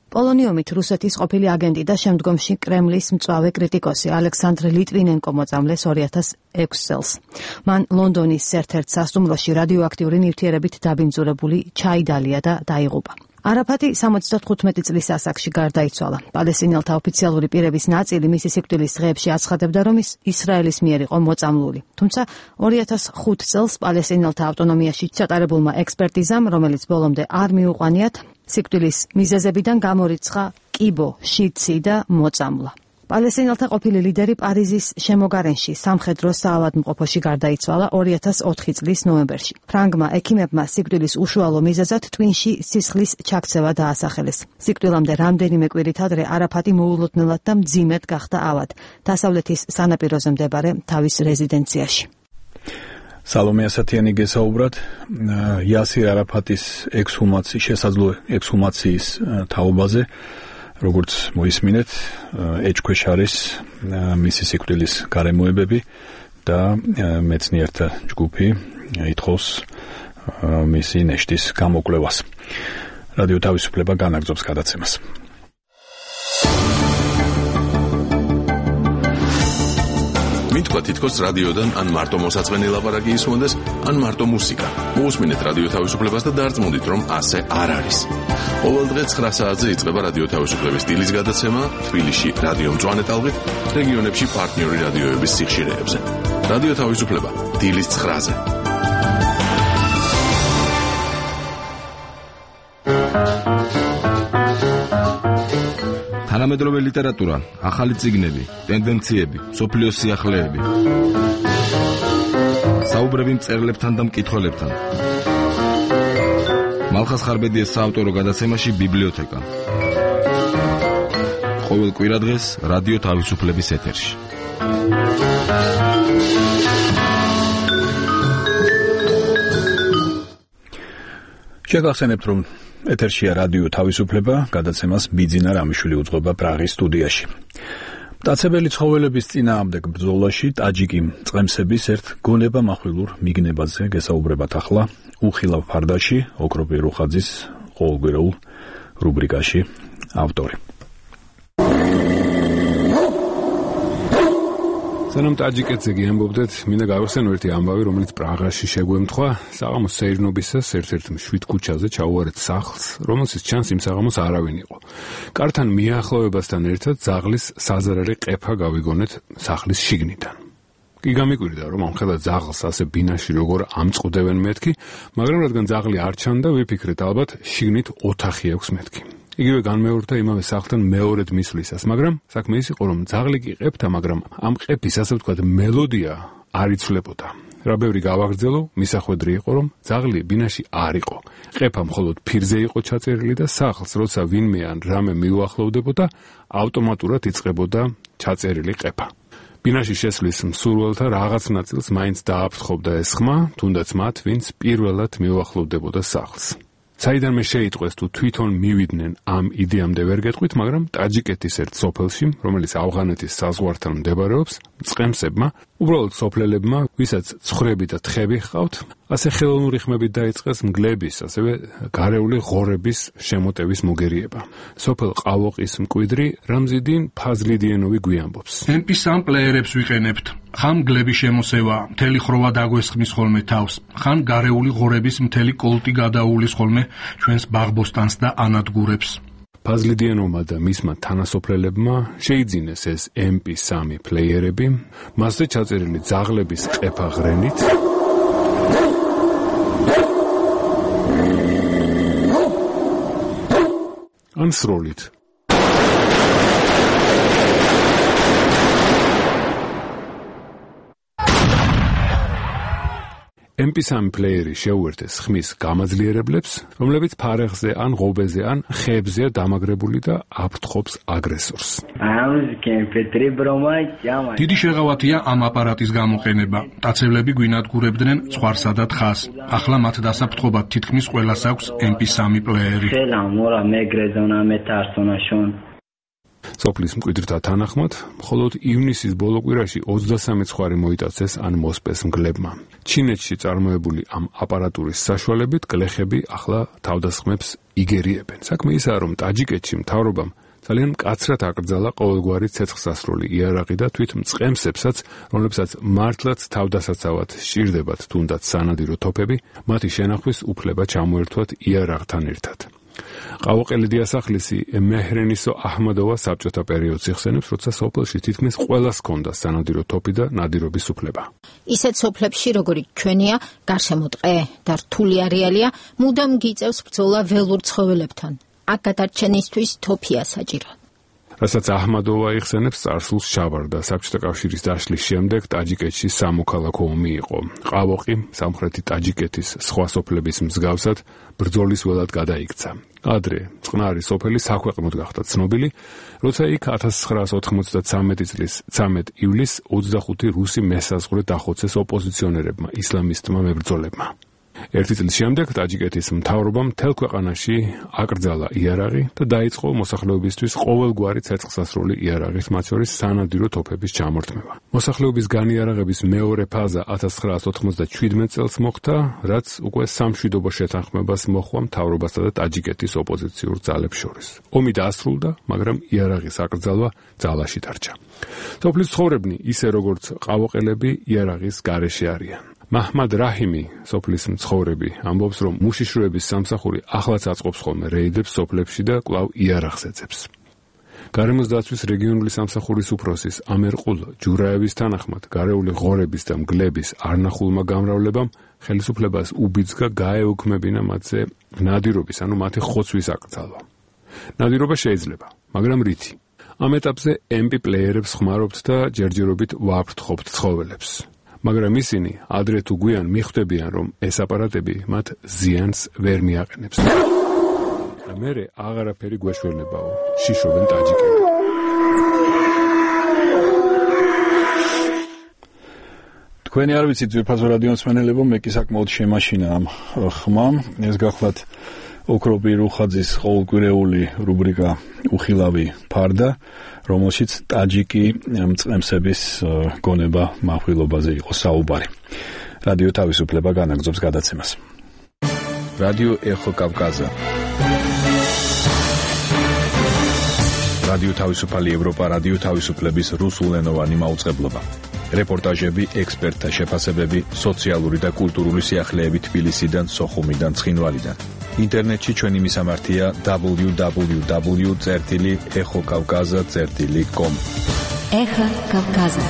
პოლონიუმით რუსეთის ყოფილი აგენტი და შემდგომში კრემლის მწვავე კრიტიკოსი ალექსანდრ ლიტვინენკო მოწამლეს ორი ათას ექვს წელს. მან ლონდონის ერთ-ერთ სასტუმროში რადიოაქტიური ნივთიერებით დაბინძურებული ჩაიდალია და დაიღუპა. არაფატი სამოცდათხუთმეტი წლის ასაკში გარდაიცვალა. პალესტინელთა ოფიციალური პირების ნაწილი მისი სიკვდილის დღეებში აცხადებდა, რომ ის ისრაელის მიერ იყო მოწამლული. თუმცა ორი ათას ხუთ წელს პალესტინელთა ავტონომიაში ჩატარებულმა ექსპერტიზამ, რომელიც ბოლომდე არ მიუყვანიათ, სიკვდილის მიზეზებიდან გამორიცხა კიბო, შიცი და მოწამვლა. პალესტინელთა ყოფილი ლიდერი პარიზის შემოგარენში სამხედრო საავადმყოფოში გარდაიცვალა ორი ათას ოთხი წლის ნოემბერში. ფრანგმა ექიმებმა სიკვდილის უშუალო მიზეზად ტვინში სისხლის ჩაქცევა დაასახელეს. სიკვდილამდე რამდენიმე კვირით ადრე არაფატი მოულოდნელად და მძიმედ გახდა ავად დასავლეთის სანაპიროზე მდებარე თავის რეზიდენციაში. სალომე ასათიანი გესაუბრათ იასირ არაფატის ექსჰუმაციის შესაძლო ექსჰუმაციის თაობაზე. როგორც მოისმინეთ, ეჭქვეშ არის მისი სიკვდილის გარემოებები და მეცნიერთა ჯგუფი ითხოვს მისი ნეშტის გამოკვლევას. რადიო თავისუფლება განაგრძობს გადაცემას. მითქვა თითქოს რადიოდან ან მარტო მოსაწყენი ლაპარაკი ისმონდეს, ან მარტო მუსიკა. მოусმინეთ რადიო თავისუფლებას და დარწმუნდით, რომ ასე არ არის. ყოველ დღე ცხრა საათზე იწყება რადიო თავისუფლების დილის გადაცემა, თბილისში რადიო მწვანე ტალღით, რეგიონებში პარტნიორი რადიოების სიხშირეებზე. რადიო თავისუფლება დილის ცხრაზე. თანამედროვე ლიტერატურა, ახალი წიგნები, ტენდენციები, სოფლიოს სიახლეები. საუბრები მწერლებთან და მკითხველებთან. მალხას ხარბედიას საავტორო გადაცემაში ბიბლიოთეკა. ყოველ კვირადღეს რადიო თავისუფლების ეთერში. შეგახსენებთ, რომ ეთერშია რადიო თავისუფლება, გადაცემას ბიძინა რამიშვილი უძღვება პრაღის სტუდიაში. მტაცებელი ცხოველების წინააღმდეგ ბრძოლაში ტაჯიკი წყემსების ერთ გონება-מחვილურ მიგნებაზე გესაუბრებათ ახლა უხილავ ფარდაში, ოქროპი რუხაძის ყოველკვირეულ რუბრიკაში ავტორი. სანამ ტაჯიკეთზე გიამბობდეთ, მინდა გავიხსენო ერთი ამბავი, რომელიც პრაღაში შეგვემთხვა, საღამოს სეირნობისას ერთ-ერთ მშვიდ ქუჩაზე ჩაუვარეთ სახლს, რომელსაც ჩანს იმ საღამოს არავინ იყო. კართან მიახლოებასთან ერთად ძაღლის საზარარი ყეფა გავიგონეთ სახლის შიგნიდან. კი გამიკვირდა, რომ ამხელა ძაღლს ასე ბინაში როგორ ამწყდებენ მეთქი, მაგრამ რადგან ძაღლი არ ჩანდა, ვიფიქრეთ ალბათ შიგნით ოთახი აქვს მეთქი. იგივე განმეორდა იმავე სახლთან მეორედ მისვლისას, მაგრამ საქმე ის იყო, რომ ძაღლი კი ყეფთა, მაგრამ ამ ყეფის ასე ვთქვათ მელოდია არ იცვლებოდა. რა ბევრი გავაგრძელო, მისახვედრი იყო, რომ ძაღლი ბინაში არ იყო. ყეფა მხოლოდ ფირზე იყო ჩაწერილი და სახლს, როცა ვინმე ან რამე მიუახლოვდებოდა, ავტომატურად იწყებოდა ჩაწერილი ყეფა. ბინაში შესვლის მსურველთა რაღაც ნაწილს მაინც დააფრთხობდა ეს ხმა, თუნდაც მათ, ვინც პირველად მიუახლოვდებოდა სახლს. საიდანმე შეიტყვეს თუ თვითონ მივიდნენ ამ იდეამდე ვერ გეტყვით, მაგრამ ტაჯიკეთის ერთ სოფელში, რომელიც ავღანეთის საზღვართან მდებარეობს, წყემსებმა, უბრალოდ სოფლელებმა, ვისაც ცხვრები და თხები ჰყავთ, ასე ხელოვნური ხმებით დაიწყეს მგლების, ასევე გარეული ღორების შემოტევის მოგერიება. სოფელ ყავოყის მკვიდრი რამზიდინ ფაზლიდიენოვი გვიამბობს. ემპის ამ პლეიერებს ვიყენებთ. ხან მგლები შემოსევა, მთელი ხროვა დაგვესხმის ხოლმე თავს, ხან გარეული ღორების მთელი კოლტი გადაუulis ხოლმე ჩვენს ბაღბოსტანს და ანადგურებს. ფაზლიდიენოვმა და მისმა თანასოფლელებმა შეიძინეს ეს ემპი სამი პლეიერები, მასზე ჩაწერილი ძაღლების ყეფა ღრენით ან სროლით. ემპი სამი პლეიერი შეუერთეს ხმის გამაძლიერებლებს, რომლებიც ფარეხზე ან ღობეზე ან ხეებზეა დამაგრებული და აფრთხობს აგრესორს. დიდი შეღავათია ამ აპარატის გამოყენება. მტაცებლები გვინადგურებდნენ ცხვარსა და თხას. ახლა მათ დასაფრთხობად თითქმის ყველას აქვს ემპი სამი პლეიერი. სოფლის მკვიდრთა თანახმად, მხოლოდ ივნისის ბოლო კვირაში ოცდასამი ცხვარი მოიტაცეს ან მოსპეს მგლებმა. ჩინეთში წარმოებული ამ აპარატურის საშუალებით გლეხები ახლა თავდასხმებს იგერიებენ. საქმე ისაა, რომ ტაჯიკეთში მთავრობამ ძალიან მკაცრად აკრძალა ყოველგვარი ცეცხლსასროლი იარაღი და თვით მწყემსებსაც, რომლებსაც მართლაც თავდასაცავად სჭირდებათ თუნდაც სანადირო თოფები, მათი შენახვის უფლება ჩამოერთვათ იარაღთან ერთად. ყავოყელი დიასახლისი მეჰრენისო აჰმადოვა საბჭოთა პერიოდს იხსენებს, როცა სოფელში თითქმის ყველას ჰქონდა სანადირო თოფი და ნადირობის უფლება. ისეთ სოფლებში, როგორიც ჩვენია, გარშემო ტყე და რთული არეალია, მუდამ გიწევს ბრძოლა ველურ ცხოველებთან. აქ გადარჩენისთვის თოფია საჭირო. რასაც აჰმადოვა იხსენებს, წარსულს ჩავარდა საბჭოთა კავშირის დაშლის შემდეგ ტაჯიკეთში სამოქალაქო ომი იყო. ყავოყი სამხრეთი ტაჯიკეთის სხვა სოფლების მსგავსად ბრძოლის ველად გადაიქცა. ადრე წყნარი სოფელი საქვეყნოდ გახდა ცნობილი, როცა იქ ათას ცხრაას ოთხმოცდათვრამეტი წლის ცამეტ ივლისს ოცდახუთი რუსი მესაზღვრე დახოცეს ოპოზიციონერებმა, ისლამისტმა მებრძოლებმა. ერთი წლის შემდეგ ტაჯიკეთის მთავრობამ მთელ ქვეყანაში აკრძალა იარაღი და დაიწყო მოსახლეობისთვის ყოველგვარი ცეცხლსასროლი იარაღის, მათ შორის სანადირო თოფების ჩამორთმევა. მოსახლეობის განიარაღების მეორე ფაზა ათას ცხრაასი ოცდაშვიდმეტ წელს მოხდა, რაც უკვე სამშვიდობო შეთანხმებას მოჰყვა მთავრობასა და ტაჯიკეთის ოპოზიციურ ძალებს შორის. ომი დაასრულდა, მაგრამ იარაღის აკრძალვა ძალაში დარჩა. სოფლის ცხოვრებნი, ისე როგორც ყავოყელები, იარაღის გარეშე არიან. მაჰმად რაჰიმი, სოფლის მცხოვრები, ამბობს, რომ მუშიშროების სამსახური ახლაც აწყობს ხოლმე რეიდებს სოფლებში და კვლავ იარაღს ეძებს. გარემოს დაცვის რეგიონული სამსახურის უფროსის ამერყულ ჯურაევის თანახმად, გარეული ღორების და მგლების არნახულმა გამრავლებამ ხელისუფლებას უბიძგა გაეუქმებინა მათზე ნადირობის, ანუ მათი ხოცვის აკრძალვა. ნადირობა შეიძლება, მაგრამ რითი? ამ ეტაპზე ემ პი პლეიერებს ხმარობთ და ჯერჯერობით ვაფრთხობთ ცხოველებს. მაგრამ ისინი ადრე თუ გვიან მიხვდებიან, რომ ეს აპარატები მათ ზიანს ვერ მიაყენებს. და მერე აღარაფერი გვეშველებაო, შიშობენ ტაჯიკები. თქვენი არ ვიცით ძვირფასო რადიო მსმენელებო, მე კი საკმაოდ შემაშინა ამ ხმამ. ეს გახლავთ ოქროპი რუხაძის ყოველკვირეული რუბრიკა უხილავი ფარდა, რომელშიც ტაჯიკი მწყემსების გონება מחვილობაზე იყო საუბარი. რადიო თავისუფლება განაგრძობს გადაცემას. რადიო ეხო კავკაზა. რადიო თავისუფალი ევროპა, რადიო თავისუფლების რუსულენოვანი მაუწყებლობა. რეპორტაჟები, ექსპერტთა შეფასებები, სოციალური და კულტურული სიახლეები თბილისიდან, სოხუმიდან, ცხინვალიდან. ინტერნეტში ჩვენი მისამართია დაბლიუ დაბლიუ დაბლიუ წერტილი ეხო კავკაზა წერტილი კომ. ეხა კავკაზა.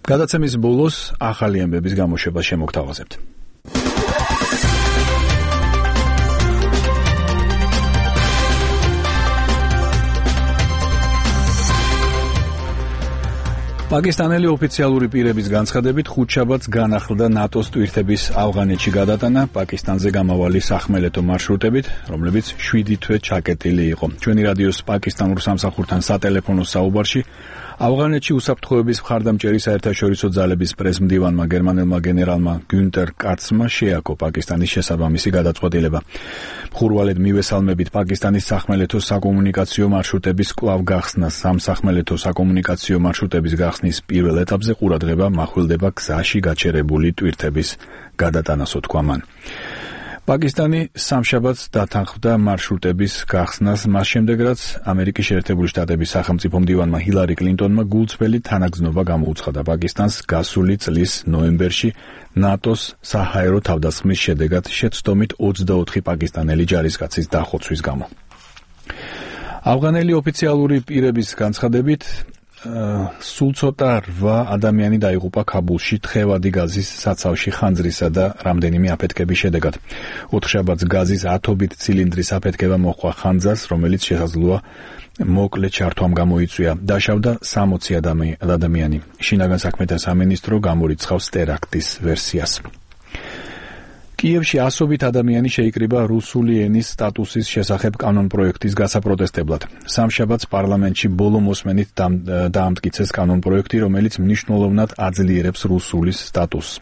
გადაცემის ბოლოს ახალი ამბების გამოშვება შემოგთავაზებთ. პაკისტანელი ოფიციალური პირების განცხადებით ხუთშაბათს განახლდა ნატოს ტვირთების ავღანეთში გადატანა პაკისტანზე გამავალი სახმელეთო მარშრუტებით, რომლებიც შვიდი თვე ჩაკეტილი იყო. ჩვენი რადიოს პაკისტანურ სამსახურთან სატელეფონო საუბარში ავღანეთში უსაფრთხოების მხარდამჭერი საერთაშორისო ძალების პრესმდივანმა გერმანელმა გენერალმა გუნტერ კაცმა შეაქო პაკისტანის შესაბამისი გადაწყვეტილება. მხურვალედ მივესალმებით პაკისტანის სახმელეთო საკომუნიკაციო მარშრუტების კვლავ გახსნას. სამსახმელეთო საკომუნიკაციო მარშრუტების გახსნის პირველ ეტაპზე ყურადღება მახვილდება გზაში გაჩერებული ტვირთების გადატანასო თქვა მან. პაკისტანი სამშაბათს დათანხმდა მარშრუტების გახსნას, მას შემდეგ რაც ამერიკის შეერთებული შტატების სახელმწიფო მდივანმა ჰილარი კლინტონმა გულწრფელი თანაგზნობა გამოუცხადა პაკისტანს გასული წლის ნოემბერში ნატოს საჰაერო თავდასხმის შედეგად შეცდომით ოცდაოთხი პაკისტანელი ჯარისკაცის დახოცვის გამო. ავღანელი ოფიციალური პირების განცხადებით სულ ცოტა რვა ადამიანი დაიღუპა ქაბულში თხევადი გაზის საცავში ხანძრისა და რამდენიმე აფეთქების შედეგად. ოთხშაბათს გაზის ათობით ცილინდრის აფეთქება მოჰყვა ხანძარს, რომელიც შესაძლოა მოკლე ჩართვამ გამოიწვია. დაშავდა სამოცი ადამიანი. შინაგან საქმეთა სამინისტრო გამორიცხავს ტერაქტის ვერსიას. კიევში ასობით ადამიანი შეიკრიბა რუსული ენის სტატუსის შესახებ კანონპროექტის გასაპროტესტებლად. სამშაბათს პარლამენტში ბოლო მოსმენით დაამტკიცეს კანონპროექტი, რომელიც მნიშვნელოვნად აძლიერებს რუსულის სტატუსს.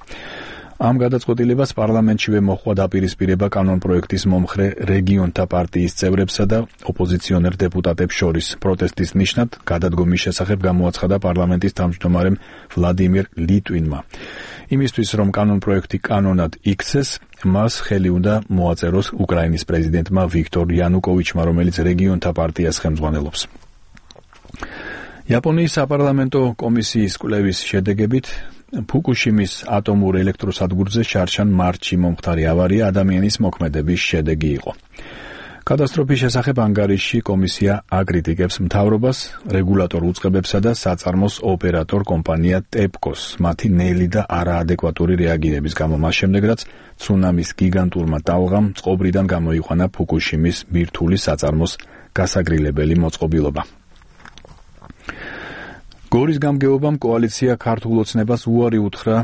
ამ გადაწყვეტილებას პარლამენტშივე მოჰყვა დაპირისპირება კანონპროექტის მომხრე რეგიონთა პარტიის წევრებსა და ოპოზიციონერ დეპუტატებს შორის. პროტესტის ნიშნად გადადგომის შესახებ გამოაცხადა პარლამენტის თავმჯდომარემ ვლადიმირ ლიტვინმა. იმისთვის, რომ კანონპროექტი კანონად იქცეს, მას ხელი უნდა მოაწეროს უკრაინის პრეზიდენტმა ვიქტორ იანუკოვიჩმა, რომელიც რეგიონთა პარტიას ხელმძღვანელობს. იაპონიის საპარლამენტო კომისიის კვლევის შედეგებით ფუკუშიმის ატომურ ელექტროსადგურზე შარშან მარტში მომხდარი ავარია ადამიანის მოქმედების შედეგი იყო. კატასტროფის შესახებ ანგარიშში კომისია აკრიტიკებს მთავრობას, რეგულატორ უწყებებსა და საწარმოს ოპერატორ კომპანია ტეპკოს მათი ნელი და არაადეკვატური რეაგირების გამო, მას შემდეგ რაც ცუნამის გიგანტურმა ტალღამ წყობრიდან გამოიყვანა ფუკუშიმის ბირთვული საწარმოს გასაგრილებელი მოწყობილობა. გორის გამგეობამ კოალიცია ქართულ ოცნებას უარი უთხრა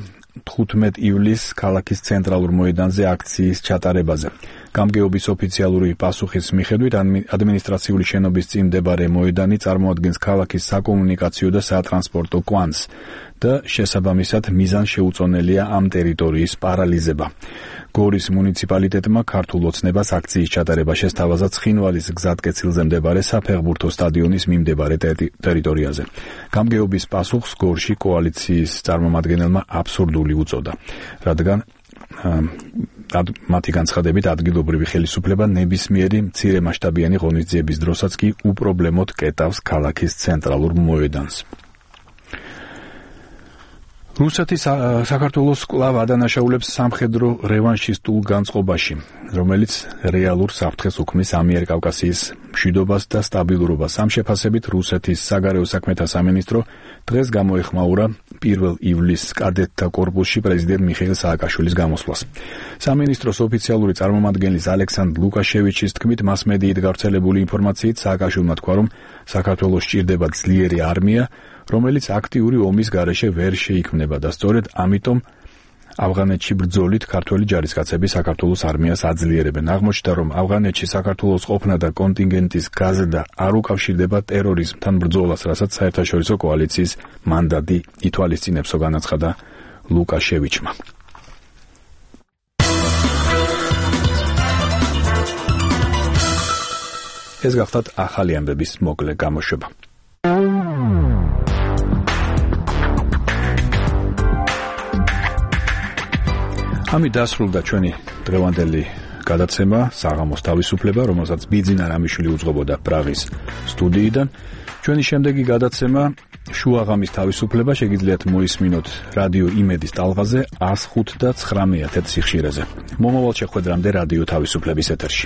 თხუთმეტ ივლისს ქალაქის ცენტრალურ მოედანზე აქციის ჩატარებაზე. გამგეობის ოფიციალური პასუხის მიხედვით ადმინისტრაციული შენობის წინ მდებარე მოედანი წარმოადგენს ქალაქის საკომუნიკაციო და სატრანსპორტო კვანძს და შესაბამისად მიზანს შეუწონელია ამ ტერიტორიის პარალიზება. გორის მუნიციპალიტეტმა ქართულ ოცნებას აქციის ჩატარება შესთავაზა ცხინვალის გზატკეცილზე მდებარე საფეხბურთო სტადიონის მიმდებარე ტერიტორიაზე. გამგეობის პასუხს გორში კოალიციის წარმომადგენელმა აბსურდული უწოდა, რადგან მათი განცხადებით ადგილობრივი ხელისუფლება ნებისმიერი მცირე მასშტაბიანი ღონისძიების დროსაც კი უპრობლემოდ კეტავს ქალაქის ცენტრალურ მოედანს. რუსეთი საქართველოს კვლავ ადანაშაულებს სამხედრო რევანშისტულ განწყობაში, რომელიც რეალურ საფრთხეს უქმნის ამიერკავკასიის მშვიდობას და სტაბილურობას. ამ შეფასებით რუსეთის საგარეო საქმეთა სამინისტრო დღეს გამოეხმაურა პირველ ივლისს კადეტთა კორპუსში პრეზიდენტ მიხეილ სააკაშვილის გამოსვლას. სამინისტროს ოფიციალური წარმომადგენლის ალექსანდრ ლუკაშევიჩის თქმით, მასმედიით გავრცელებული ინფორმაციით სააკაშვილმა თქვა, რომ საქართველოს სჭირდება ძლიერი არმია, რომელიც აქტიური ომის გარეშე ვერ შეიქმნება და სწორედ ამიტომ ავღანეთში ბრძოლით ქართველი ჯარისკაცები საქართველოს არმიას აძლიერებენ. აღმოჩნდა, რომ ავღანეთში საქართველოს ყოფნა და კონტინგენტის გაზრდა არ უკავშირდება ტერორიზმთან ბრძოლას, რასაც საერთაშორისო კოალიციის მანდატი ითვალისწინებსო, განაცხადა ლუკაშევიჩმა. ეს გახლავთ ახალი ამბების მოკლე გამოშვება. ამით დასრულდა ჩვენი დღევანდელი გადაცემა საღამოს თავისუფლება, რომელსაც ბიძინა რამიშვილი უძღვებოდა პრაღის სტუდიიდან. ჩვენი შემდეგი გადაცემა შუაღამის თავისუფლება შეგიძლიათ მოისმინოთ რადიო იმედის ტალღაზე ას ხუთ და ცხრამეტ სიხშირეზე. მომავალ შეხვედრამდე რადიო თავისუფლების ეთერში.